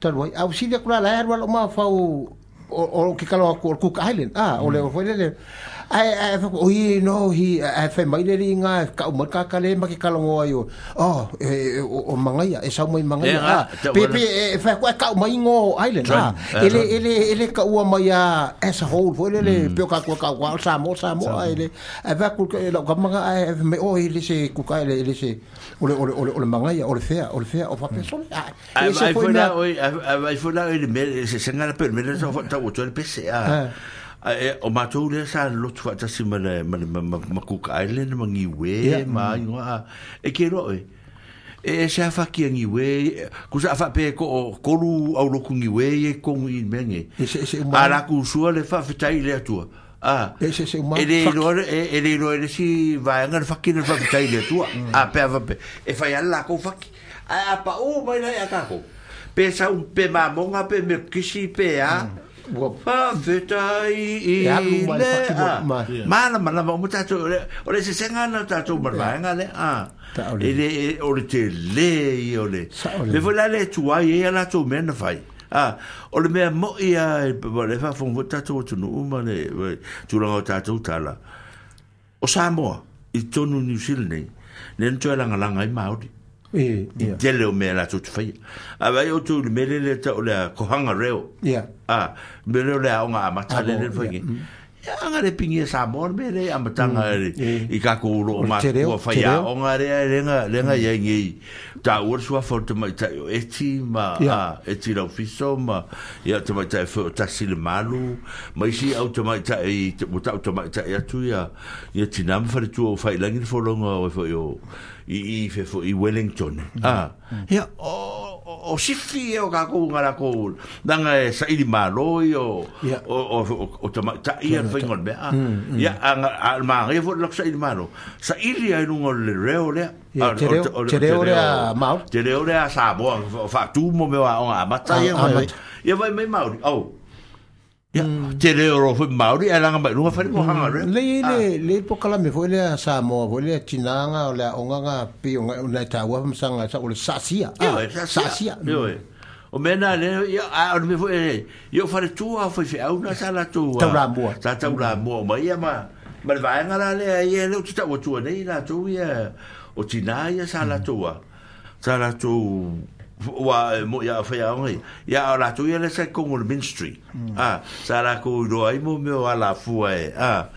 talu ai. A visile kura la e roa lau maa whau o ke kalo aku o Cook Island. Ah, o le o le ai ai o i no hi ai whai mai le ringa ka umar ka kale ma ke kalongo ai o oh o mangaia e sau mai mangaia ah pe pe e whai koe ka umai ngo island ah ele ele ele ka ua mai a as a whole foi le pe ka ko ka wa Samoa Samoa ele ai whai ku lau ka manga ai me o ele se Cook Island ele se ole ole ole ole mangaia ole fea o whapesole ai ai foi la ai foi la ele me se sengala pe me le sa ta o tole pese a o matou le sa lotu faatasi ma le ma Cook Island ma Niue ma ingoa e ke roe e se afaki a Niue ku sa afa pe ko kolu au loku Niue e kongu i menge a la ku sua le faafetai le atua a e le loa e le loa le si vaega le faki le faafetai le atua a pe ava pe e fai ala la kou faki a pa o mai lai a kako pe sa pe mamonga pe me kisi pe a Whawhetai i le a Mana mana ma tātou o le se senga na tātou marvaenga le a e le o le te le i o le le foi la le tuai e a lātou mea na whai a o le mea mo ia le whawhong tātou o tunu uma le tūranga o tātou tala o Samoa i tonu New Zealand nei le ntoe langa langa i Māori i tele o mea lātou te whaia. A vai o tū le mele le ta o le kohanga reo. A, mele o le aonga amata le le whaingi. Ia anga le pingi e Samoa mele amatanga i kako uro o mākua whaia aonga rea lenga ia ngei. Tā ua sua whao te maitai o eti ma eti laufiso ma ia te maitai whao tasi le malu. Ma isi au te maitai o tau te maitai atu ia tinama wharetua o whailangi le wholonga o whai o i fefo i Wellington. Ah, ia o sifi e o kako ngā rako nanga e saili maloi o o tamatai ia whainga o le mea. Ia a maangai fo lako saili malo. Saili ai lunga o le reo lea. Te reo lea Māori. Te reo lea Samoa whaatumo mea o ngā amata ia. Ia vai mai Māori. Au. Ia, te reo ro foi Māori, e langa mai runga whare kohanga reo. Le, le pokalame foi lea Samoa, foi lea tinanga o lea onganga pi o ngai tāua whamsanga, sa o le sasia. Ioe, sasia. Ioe. O mea nā le, ia, a o le mea foi, ia o whare tua o whai whiauna sa la tua. Tauramua. Sa tauramua o mai ia ma, ma le vaenga la lea, ia leo te tau atua nei la tou ia, o tina ia sa la tua. Sa la tou, ua mo ia whai aonga ia o lātou ia le sa kongo le ministry ah sa la ko roa i mo meo ala fua e ah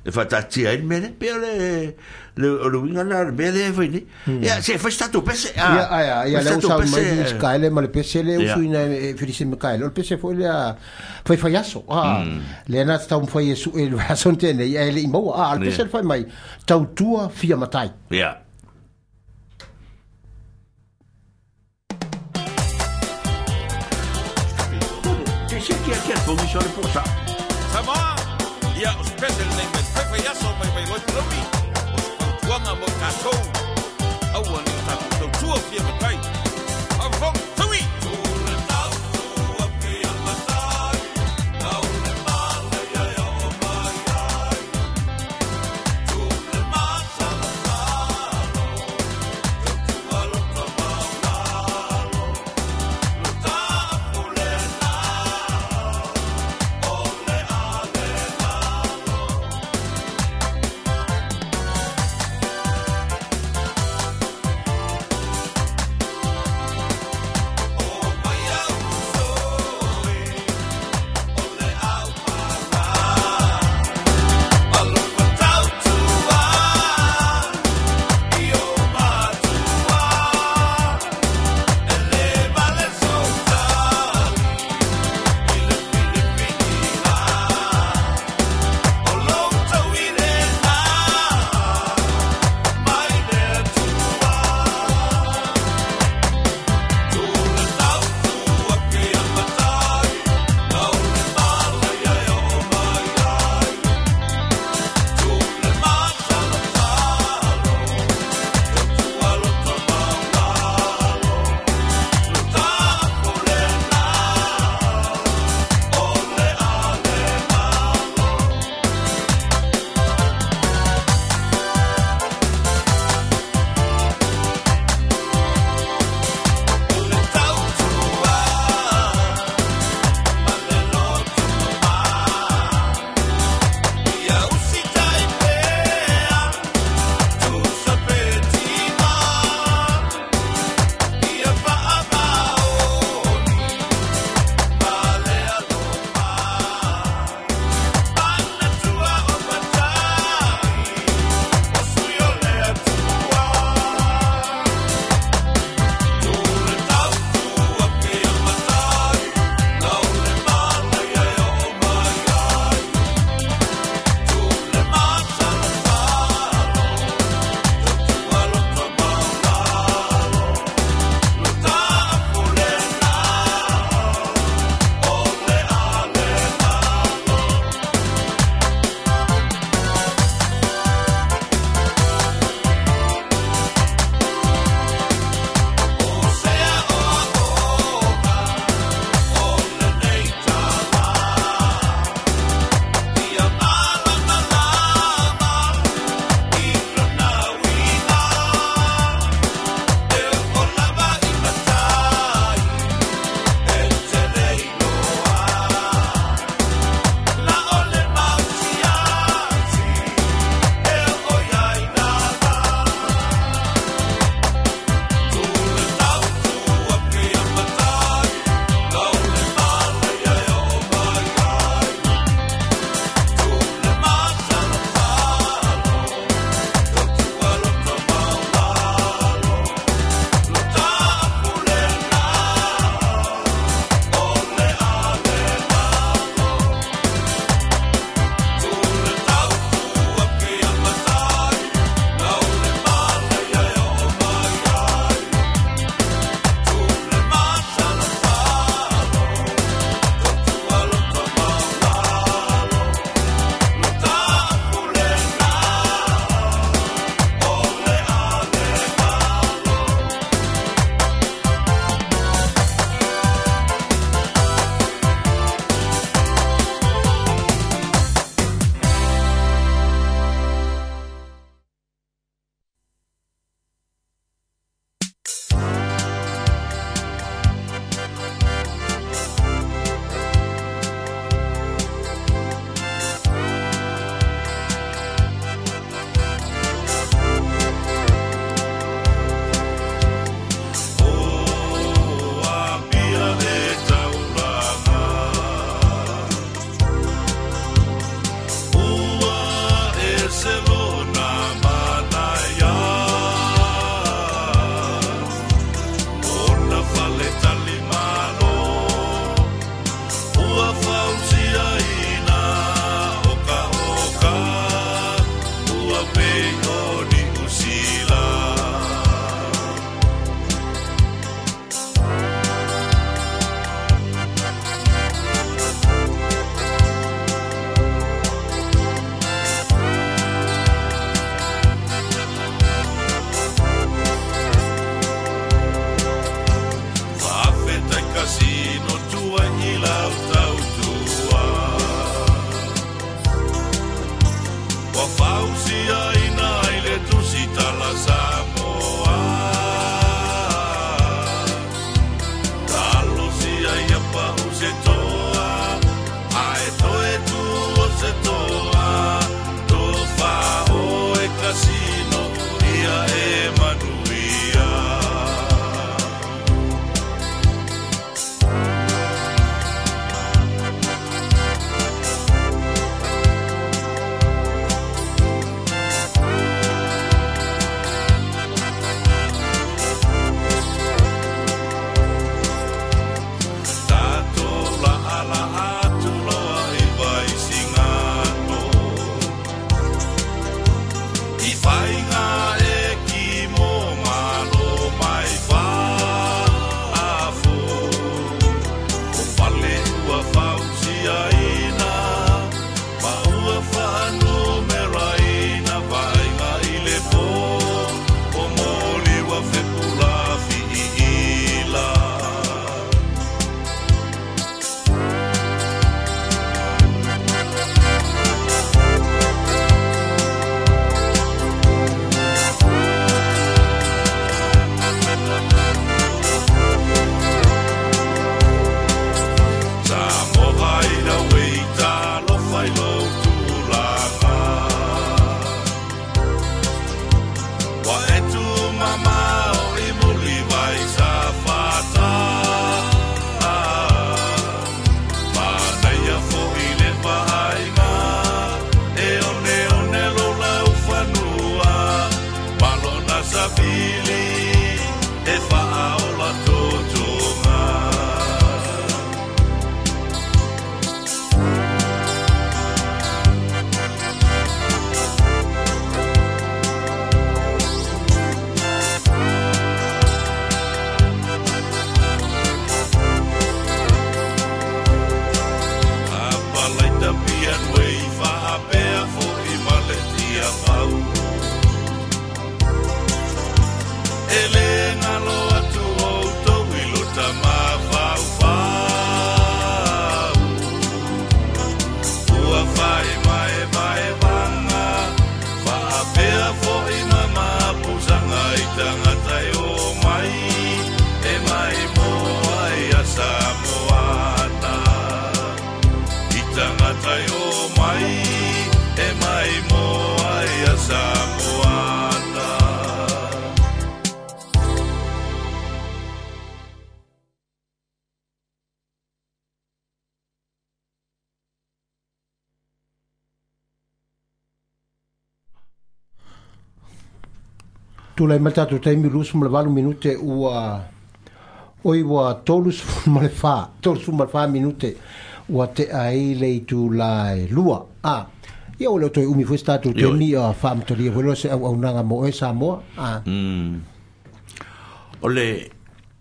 e whatatia ai mele pe o le o le winga la le mele e whai ni ia se whai stato pese ah ia ia le usau mai i skaile ma le pese le usuina e whirise mekaile o le pese foi lea whai whai aso ah le na tau mwhai e su e le aso tēnei ia e le i maua ah le pese le whai mai tautua fia matai ia. Samoa, ia o special name me whai aso mai mai loi palaumi. O se whautuanga mo tātou. Aua ni o tātou tautua fia matai. Awhong tui! Tūre tautua fia matai. Tau le male ia o mai ai. Tūre masala malo. Tautua loto maulalo. Luta apule nalo. Ole ale nalo. nai o mai e mai mo ai a Samoana. Tulai mai tatou taimi 28 minute ua oi ua 34 minute ua te ai le itula e 2. A ia o le toe umi foi se tatou taimi a faamatalia foi loa se auaunaga mo oe Samoa. A O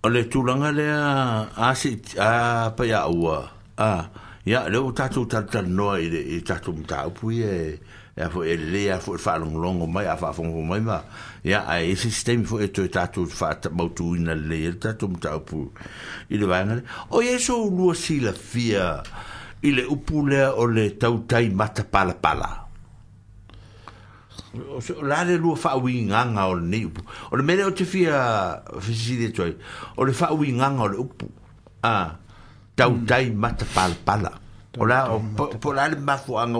le tulaga lea a si a pa ia ua a ia le o tatou talatalanoa i le tatou mataupu ia e a foi e lelei a foi faalogologo mai a faafogafoga mai ma ia ae isi se taimi foi e toe tatou faatamautuina lelei ai le tatou mataupu i le vaega lea. O i ai sou lua silafia i le upu lea o le tautai matapalapala. O la le lua faauigaga o lenei upu. O le mea lea ou te fia fesili atu ai, o le faauigaga o le upu a tautai matapalapala. O la po la le mafuaaga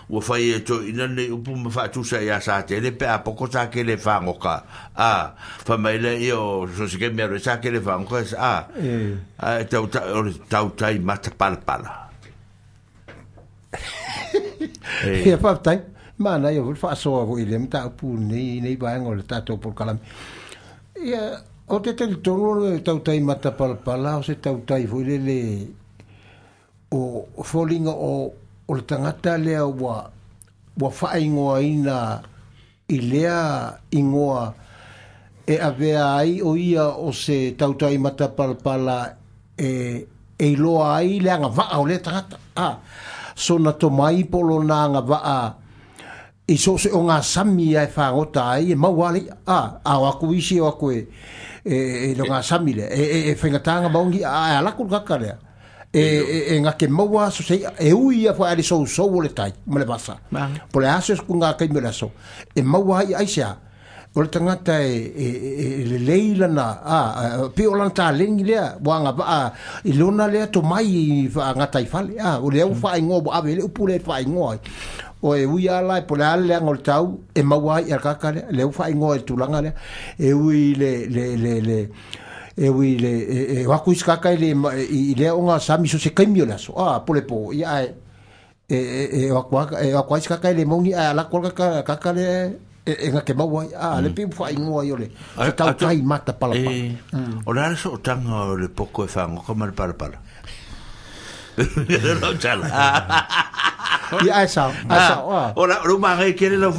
ua fai e toeaina lenei upu ma faatusa ia sa tele pe a poko sa kele fagoka. A fai mai lea ia o so se ke mea roe sa kele fagoka a a tautai o le tautai matapalapala. Ia faafetai. Mana ia foi faasoa foi i le mataupu nei vaega o le tatou polokalame. Ia o te talitonu o le tautai matapalapala o se tautai foi lele o foliga o le tagata lea ua faaigoaina i lea igoa e avea ai o ia o se tautai matapalapala e iloa ai le agavaa o lea tagata. A sona tomai po o lona agavaa i so se o ngā sami ai whangota ai e maua le a o aku isi o aku e lo ngā sami le e whaingatanga maungi a alaku kaka lea e ngā ke maua so se e ui ia wha ali sou sou o le tai ma le vasa po le aso ku ngā kai me le aso e maua ai ai sea o le tangata e le leila na a pe o lana tālengi lea wa ngā waa i lona lea to mai i ngā taifale a o le au whaingoa wa ave le upu le whaingoa o e ui ala e po le ale lea ngol tau e maua ai kaka lea le au whaingoa e tulaga lea e ui le e ui le e waku isi kaka i le i lea o ngā sami so se kaimi o le aso a po le po ia e waku isi kaka i le maungi a alako kaka lea e ngā ke maua ai a le piu whaingoa i o le se tautai mata palapala. O le ala sootanga o le poko e whangoka ma le palapala. Ia ai sao, ai sao. O la o mangai kele lo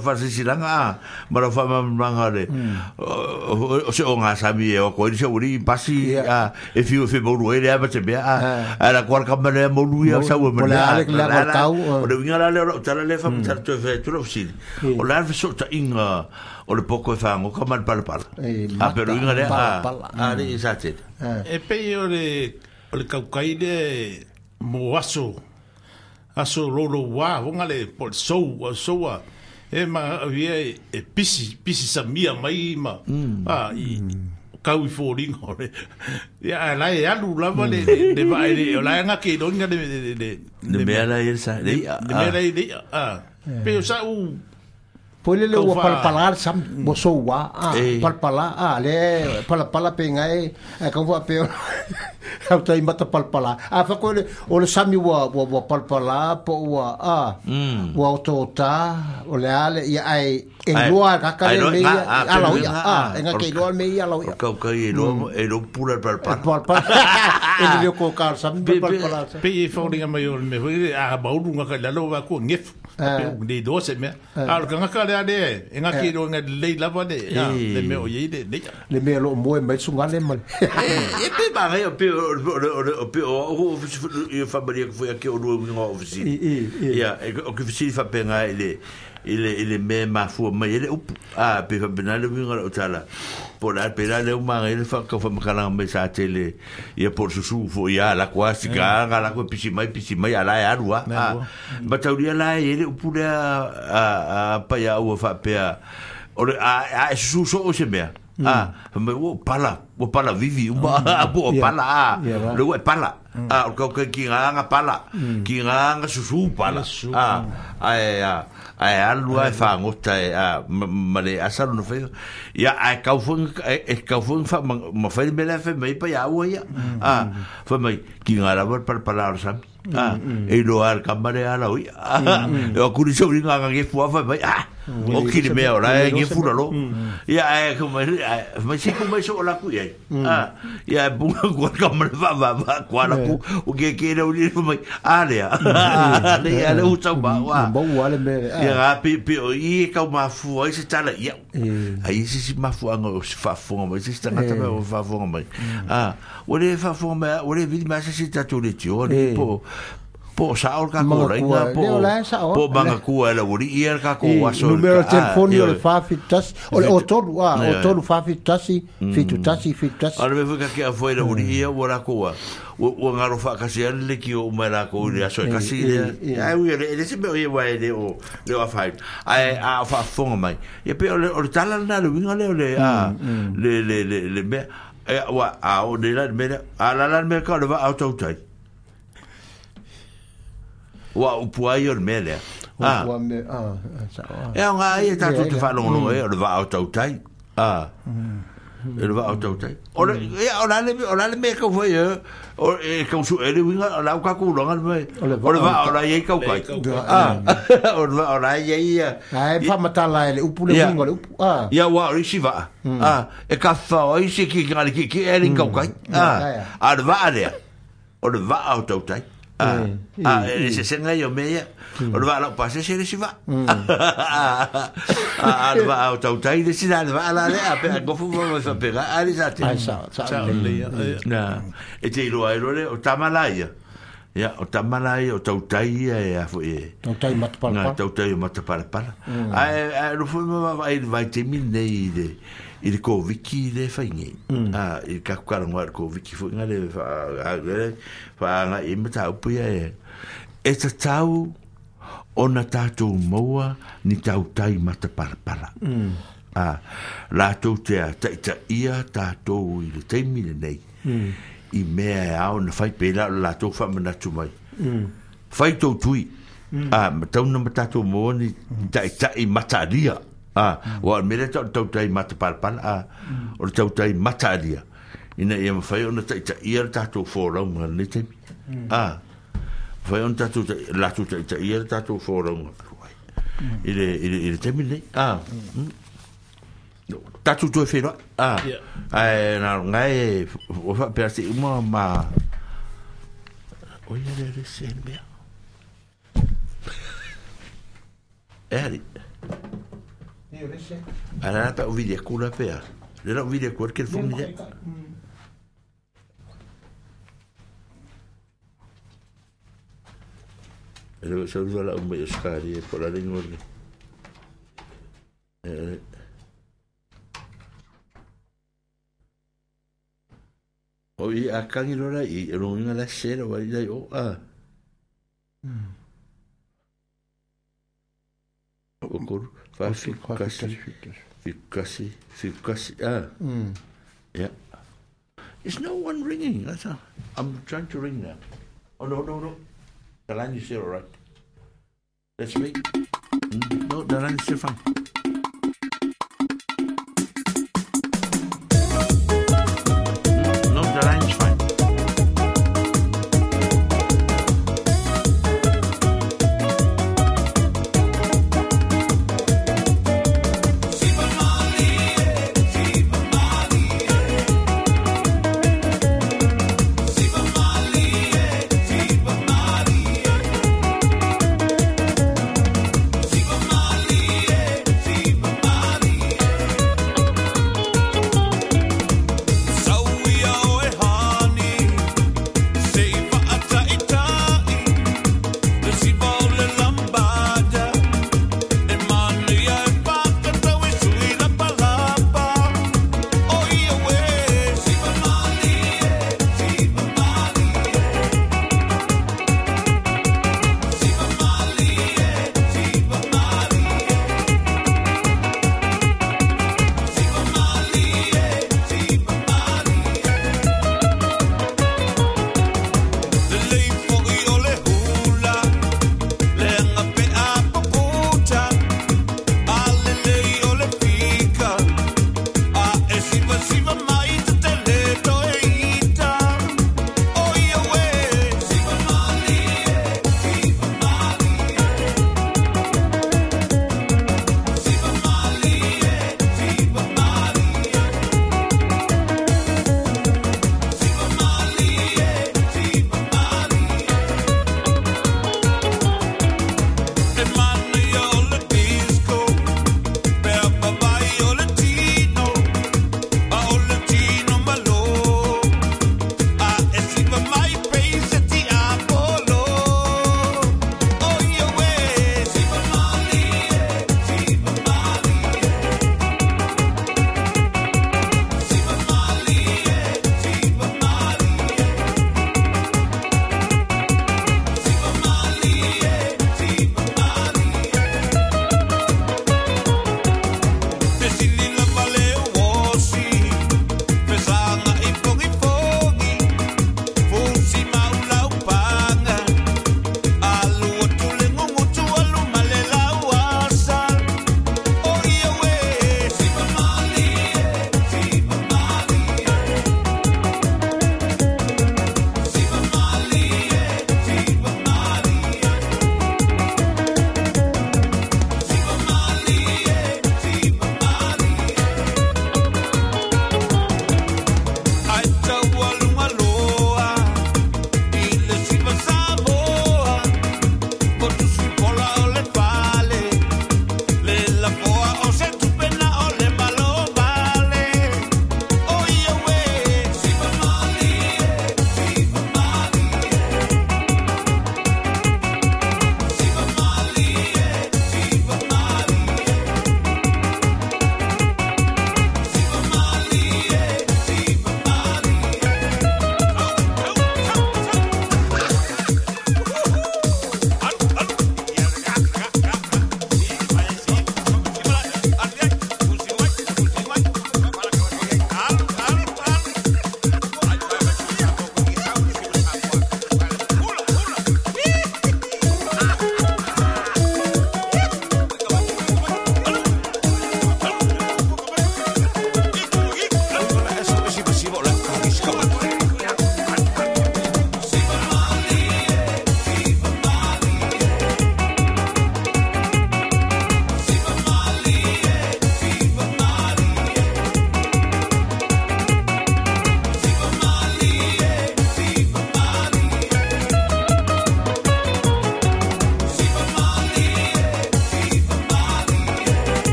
fasisilaga a ma lo famamanga le o se o ngā sami e o koe se uri pasi a e fiu e maulu e le ama te mea a la kuala kama le maulu ia sau e mana o le winga la le o tala le whamatara toe whae tula usili o la alfa ta inga o le poko e whangoka ma le palapala a pero inga le a le i sa tele e pei o le kaukai le mo aso aso lolo wa vonga le pol sou soa e ma via e pisi pisi samia mai ma a i kau i fōringa le ia la e alu lava le le va le la nga ke donga le le mea la e sa le mea la le a pe sa u po le le ua palapala sam mo sou wa a palapala a le palapala pe ngai e ka ua pe au tai mata palapala a fa ko le o le sami ua ua palapala po ua a ua otota o le ale ia ai e loa ka ka le a la ia a e nga ke loa me ia la ia ka ka e lo e lo pula palapala palapala e le ko ka sami palapala pe e faulinga mai o le me foi a baulu nga ka la lo va ko ngef pe o le do se me a lo ka ka le ale e nga ke lo nga le lava le le me o ye le le me lo mo e mai sunga le mal e pe ba re pe o pe o o familia que foi aqui o no ofisi ia o que ofisi fa penga ele ele me mafua mai ele upu a pe fa pena le winga o tala por la pera le uma ele fa ka fa makala mai sa tele ia por susu fo ia la quasi ka la ko pisi mai ala e alua a batauria la ele upu le a pa ia ua fa pea o a susu so o se mea A fai mai ua pala ua pala vivi uma po o pala a le ua e pala. A o kau kai ki ngā nga pala ki ngā nga susu pala. A ae a ae alu ae whangota e a ma le asa lona whai. Ia ae kau foi e kau foi fa ma whai me le whai mai pa ia ua ia. A fai mai ki ngā rawa pala pala o sami. A e loa al kamare ala ui. E o kuri sau ringa nga ngefu a fai mai. A o kiri mea o la e ngefu lalo. Ia ae ku mai mai se ku mai so o laku ia. A ia e bunga kua kamare fa va va kua laku o ke ke le uri fai mai. A lea. A le ia le utau ma wa. Mau ale me. Ia nga pi pi o i kau mafu ai se tala ia. Ai se si mafu anga o se faafofoga mai se si tagata mai o faafofoga mai. A ua lē faafofoga mai ua lē vili mai se si tatou le tio alii po po o sa'o le kakou laiga po po magakua e le uali'i ia le kakou aso Numero telefoni o le 471 o le o tolu a o tolu 471 71 71. A le mea foi kake'a foi le uali'i ia ua lakou a ua galo faakasi ai le lekiō uma e lakou i le aso e kasi lea ae ui e le se mea o ia ua e le o le o afaina ae a o faafofoga mai ia pe o le tala lena le uiga lea o le a le le le le mea e ua a o le la le mea a la la le mea ka o le vaa o tautai ua upu ai o le mea lea. A. Ua me, a, a. E ao ngā ia tātou te whaalongolongo e, o le vaa o tautai. A. E le vaa o tautai. O le, ia, o la le, o la le mea kau whai e, o, e kau su e le winga, o la au kaku ulanga le mea, o le vaa o la iei kau kai. A. O le vaa o la iei ia. A e whamatala e le upu le winga le upu. A. Ia ua o le isi vaa. A. E ka whao ai se ki ngā le ki ki e le kau kai. A. A le vaa lea. O le vaa o tautai. A, a, e se senga i o mea, o le vaa lau pasese le si vaa. A, le vaa o tautai le si la le vaa la le, a pe a gofu ma ma whapega, a le sa te. Ai sa, sa le. Na, e te iloa e lore, o tamala ia. Ia, o tamala ia, o tautai ia e a foi e. Tautai matapalapala. Ngā tautai o matapalapala. A, a, no foi ma vai vai te mi nei i le, i le Koviki le whai nei. A, i ka kukarangoa le Koviki foi ngā le whaanga i mata upu ia e. E tatau ona tātou maua ni tautai matapalapala. A, lātou te a taita ia tātou i le teimi le nei. I mea e ao na whai pēlā o lātou whamanatu mai. Whai tau tui. A, matau na matātou maua ni taitai mataria. A, wa o mele tau tautai matapalapala, a, o le tautai mataria. Ina ia mawhai ona taita ia le tātou fōraunga le teimi. A, mawhai ona tātou, lātou taita ia le tātou fōraunga. I le teimi nei. A, tātou toe whenua. A, ai, nā ngai, o whapea se uma ma, o ia le se mea. E ari. Ara pa o video kula pea. Le la video kula ke fo mi. Le so la o me skari e por la lengua. O i a kangi rora i ronga la sera wa i o a. O koru, fa kasi, kasi, kasi, ah. Yeah. Is no one ringing? That's all. I'm trying to ring now. Oh, no, no, no. The line is still all right. That's me. No, the line is still fine. No, the line is fine. See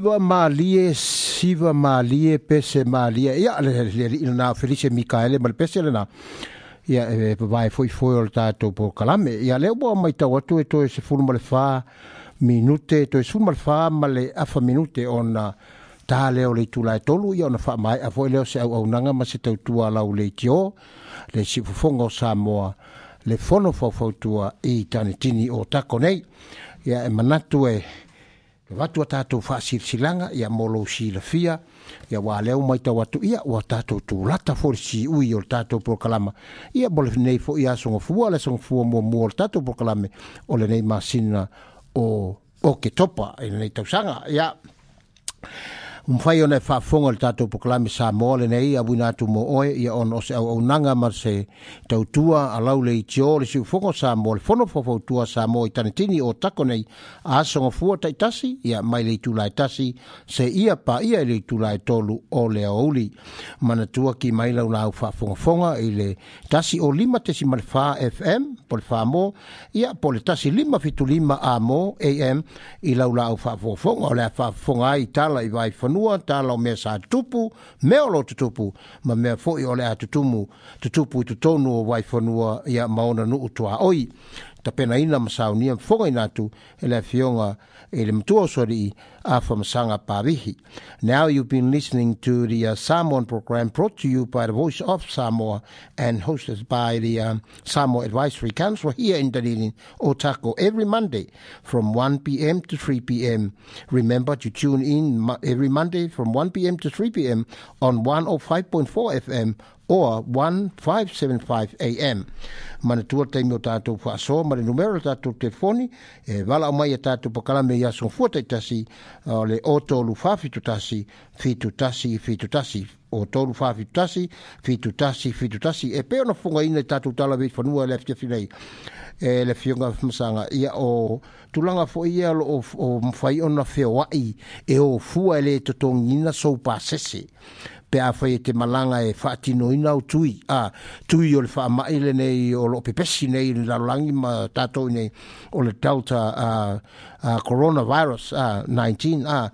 Siva malie, siva malie, pese malie. Ia, le le le na Felice Mikaele ma le pese lena. Ia, e vavae foʻifoʻi o le tatou polokalame. Ia lea ua maitau atu e toe 14 minute, toe 14 ma le afa minute ona tā lea o le itula e 3, ia ona faamaeʻa foʻi lea o se auaunaga ma se tautua lau leitio, le siufofoga o Samoa, le fono faufautua i Tanitini o tako nei. Ia e manatu e avatu a tatou faasilasilaga, ia mo lou silafia, ia ua lea ua maitau atu, ia ua tatou tulata foʻi le siui o le tatou polokalama, ia mo lenei foʻi aso gafua, le aso gafua muamua o le tatou polokalame o lenei masina o Oketopa i lenei tausaga. Ia mafai ona e faafofoga le tatou polokalame Samoa lenei auina atu mo oe, ia ona o se auaunaga ma se tautua a lau leitio le siufofoga o Samoa, le fono faufautua Samoa i Tanitini o tako nei aso gafua taitasi, ia mai le itula e 1 seia paia i le itula e 3 o le aoauli. Manatua ki mai lau lau faafogafoga i le 105.4 FM po le Famo, ia po le 1575 Amo AM i lau lau faafogafoga. O le a faafofoga ai tala i vaifanua, tala o mea sa tutupu, mea o lo tutupu, ma mea foʻi o le a tutupu i totonu o vaifanua, ia ma ona nuu tuaoi. Tapenaina ma saunia fofogaina atu e le afioga i le matua o Soalii Afamasaga Pavihi. Now you've been listening to the Samoan program brought to you by the Voice of Samoa and hosted by the Samoa Advisory Council here in Dunedin, Otako, every Monday from 1 p.m. to 3 p.m. Remember to tune in every Monday from 1 p.m. to 3 p.m. on 105.4 FM or 1575 AM. Manatua taimi o tātou faasoa ma le numera o tātou telefoni e valaau mai a tātou pakalame i aso fua taitasi, o le o 3 4 71 71 71, o 3 4 71 71 71. E pei ona fofogaina i tātou tala veifanua le afiafi nei e le afioga Afamasaga, ia o tulaga foʻi ia o loo o mafai ona feoaʻi e o fua e lē totogiina sou pasese pe afai e te malaga e faatinoina au tui a tui o le faamaʻi lenei o loo pepesi nei i le lalolagi ma tatou nei o le Delta coronavirus 19 a.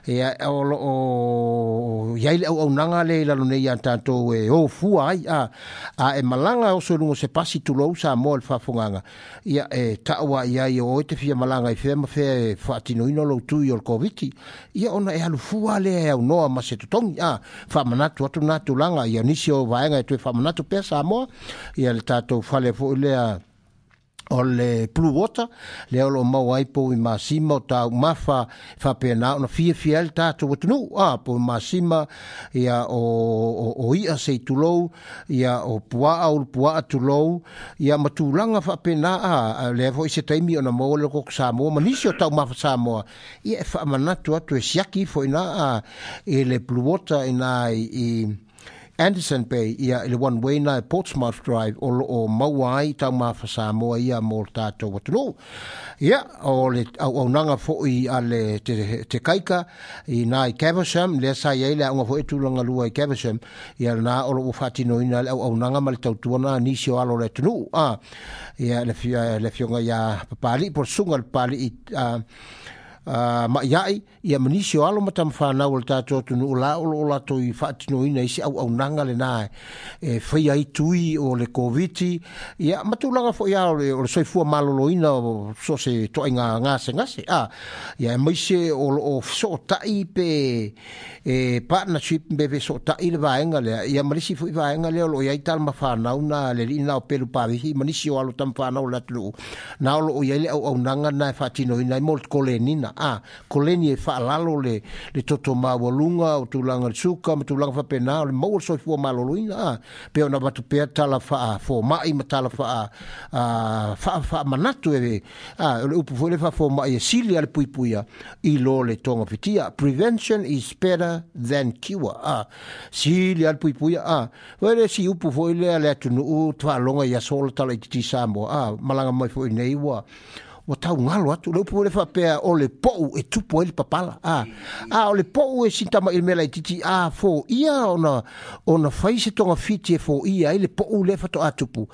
Ia o loo iai le auaunaga le i lalo nei iā tatou e o fua ai a e malaga oso i luga o se pasi, tulou Samoa le faafogaga, ia e taʻu a iai o oe te fia malaga i fea ma fea e faatinoina lou tui o le Koviti, ia ona e alu fua lea e aunoa ma se totogi a. Faamanatu atu na tulaga ia nisi o vaega e toe faamanatu pea Samoa, ia le tatou fale foʻi lea o le Blue Water lea o loo maua ai povi masima o taumafa faapena ona fiafia ai le tatou atunuu a povi masima, ia o iʻa sei tulou, ia o puaa ulu puaa tulou, ia ma tulaga faapena a. Lea foʻi se taimi ona maua le koko Samoa ma nisi o taumafa Samoa, ia e faamanatu atu e siaki ifo ina a i le Blue Water ina i Anderson Bay, ia i le one way na e Portsmouth Drive o loo maua ai taumafa Samoa ia mo le tatou atunuu. Ia o le auaunaga foʻi a le te kaika i nā i Caversham, lea sa iai le aoga foʻi tulaga lua i Caversham, ia lena o loo ua faatinoina le auaunaga ma le tautuana nisi o alo o le atunuu a. Ia le afioga iā Papaliʻi po le susuga le Papaliʻi maʻiaʻi, ia ma nisi o alo ma tamafanau o le tatou atunuu la o loo latou i faatinoina i se auaunaga lena e faia ai tui o le Koviti, ia ma tulaga foʻi a o le soifua maloloina o so se toaiga gasegase a. Ia e maise o loo fesootaʻi pe e partnership pe fesootaʻi le vaega lea, ia ma lisi foʻi vaega lea o loo iai talamafanau na le alii na o Pelu Pavihi ma nisi o alo tamafanau o le atunuu na o loo iai le auaunaga na e faatinoina ai mo le kolenina a koleni e faalalo le toto maualuga o tulaga le suka ma tulaga faapena o le maua le soifua maloloina a. Pe ona avatu pea tala faafomaʻi ma tala faa faamanatu e a o le upu foi le faafomaʻi e sili a le puipuia i lo le togafitia, prevention is better than cure a, sili a le puipuia a. Foi le si upu foi lea le atunuu faaloga i aso o le tala i titi Samoa a malaga mai foi nei ua taugalo atu le upu le faapea o le poʻu e tupu ai le papala a. A o le poʻu e sintamaʻi le mea laititi a foia ona fai se togafiti e foia ai le poʻu lea faatoa tupu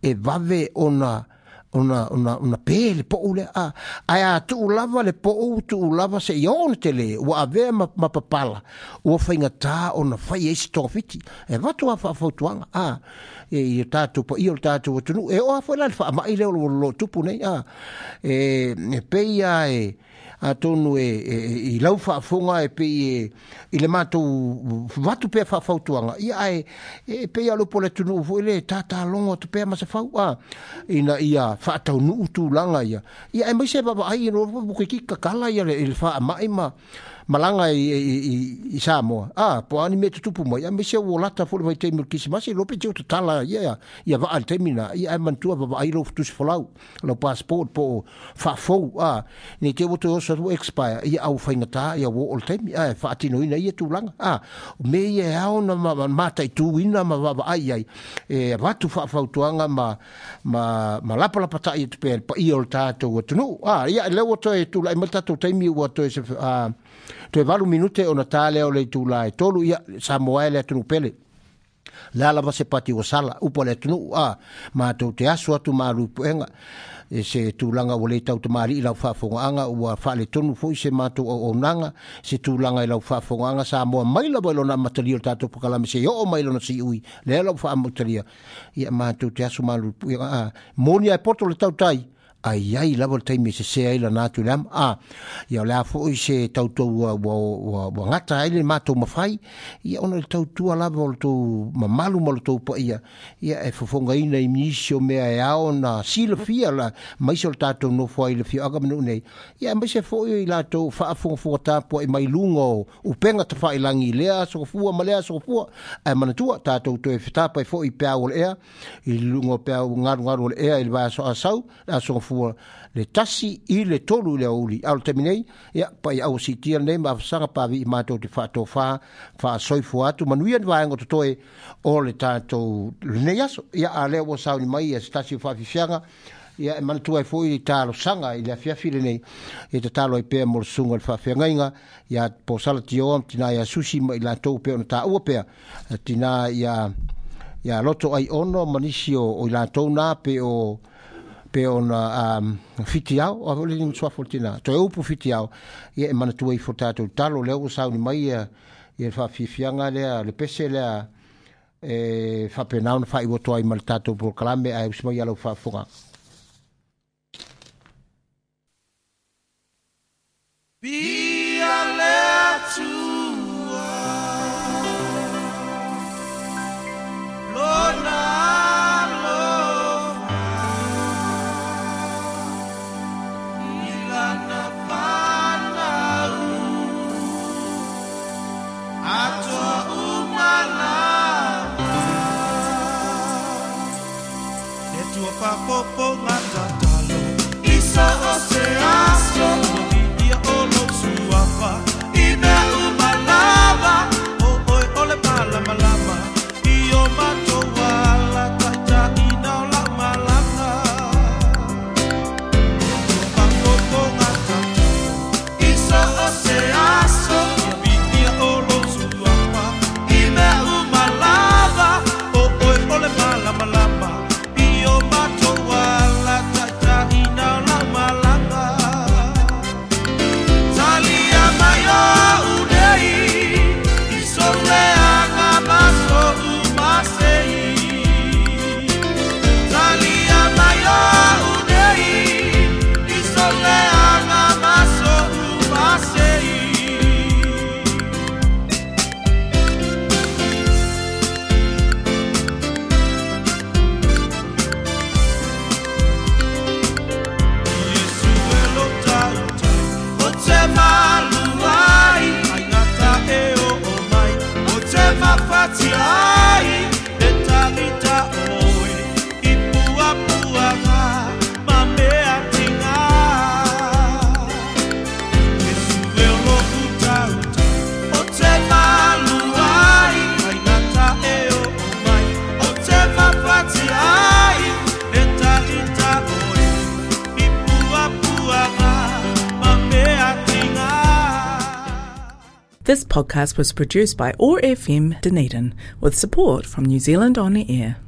e vave ona ona ona ona pe le po'u lea a ae a tuu lava le po'u tuu lava seia oo ona telē ua avea ma, ma papala ua faigatā ona fai ai se togafiti e avatu a faafautuaga a e i o tatou paia o le tatou atunuu e oo lava foi la i le faama'i lea o lo o tupu nei a e, e pei a e atonu e, e, i lau faafofoga e pei e, i le matou vatu pea faafautuaga, ia ae e pei a le upu a le atunuu foi le tatalogo atu pea ma se fau a ina ia faataunuu tulaga ia, ia aemaise e vaavaai e toeitiiti tatala ia le, le faamai ma malaga i, i, i, i Samoa, a po o a ni mea e tutupu mai, aemaise ua lata foi le vaitaimi o le Kerisimasi, iloa pe te tatala ia, ia vaa i le taimi lena, ia ae manatua vaavaai lou tusi folau, lau passport po o faafou, a, nei te i ua toe oso atu ua expire, ia a ua faigata, ia ua oo le taimi, a, e faatinoina ia tulaga, a, o mea ia e ao ona mataituina ma vaavaai i ai, e avatu faafautuaga ma, ma, ma lapalapatai atu pea i le paia o le tatou atunuu. A, ia, lea ua toe tulai mai le tatou taimi ua toe, a, toe 8 minute ona ta lea o le itula e 3, ia, Samoa e le atunuu pele. Le a lava se pati ua sala, upu a le atunuu, a, matou te aso atu malu i puega, e se tulaga ua le tautamalii i lau faafofogaaga, ua faaletonu foi se matou auaunaga, se tulaga i lau faafofogaaga Samoa mai lava i lona amatalia o le tatou pakalame seia oo mai i lona siui, lea la ua faamutalia, ia matou te aso malu i puega, a, moni a e poto le tautai, a i ai lava le taimi e sese ai lana atu i le ama. A, ia o le a foi se tautua ua, ua, ua, ua gata ai le matou mafai, ia ona o le tautua lava o le tou mamalu ma le tou paia, ia e fofogaina i nisi o mea e ao ona silafia la, maise o le tatou nofo ai i le afioaga ma nuu nei, ia aemaise foi o i latou faafogafoga tapuai mai luga o upega tafailagi i lea aso gafua ma lea aso gafua, ae manatua tatou toe fetapai foi i peau o le ea, i luga o peau galugalu o le ea i le vaiaso asau, le aso gafua le 1 i le 3 i le aoauli. A o le taimi nei, ia, paia aua siitia lenei ma afasaga pāvi'i matou te faatofā faasoifua atu manuia ni vaega o totoe o le tatou lenei aso. Ia, a lea ua sauni mai ia se tasi o faafiafiaga, ia e manatua ai foi i talosaga i le afiafi lenei, e tatalo ai pea mo le susuga i le faafeagaiga ia Posala Tioa, tina ia Susi ma i latou pea ona taua pea, tina ia ia Loto Ai Ono ma nisi o, o i latou nā pe o pe ona um, fitiao, o le ni suafa o le tina, toe upu fitiao, ia e manatua ifo tatou talo, lea ua sauni mai ia, ia le faafiafiaga lea, le pese lea, e faapena ona faaiu atu ai ma le tatou polokalame, ae usi mai ia lau faafofoga. Via le Atua, Lona alofa, i lana fanau, atoa uma lava. Le Atua faafofoga tatalo, i so o se aso, ia o lou suafa, i mea uma lava, o oe o le malamalama, i o matou ala taitaiina o lau malaga. Le Atua faafofoga tatalo, i so o se aso, ia o lou suafa, i mea uma lava, o oe o le malamalama, i o matou ala taitaiina o lau malaga. Talia mai o unei, i sou leaga ma sou masei. Talia mai o unei, i sou leaga ma sou masei. Iesu e lo tautai, o te malu ai, ai ngata e o o mai, o te mawhati ai, e tangita oe, i pua puanga, ma mea tinga. Iesu e lo tautai, o te malu ai, ai ngata e o o mai, o te mawhati ai, e tangita oe, i pua puanga, ma mea tinga. This podcast was produced by OAR FM Dunedin with support from New Zealand On Air.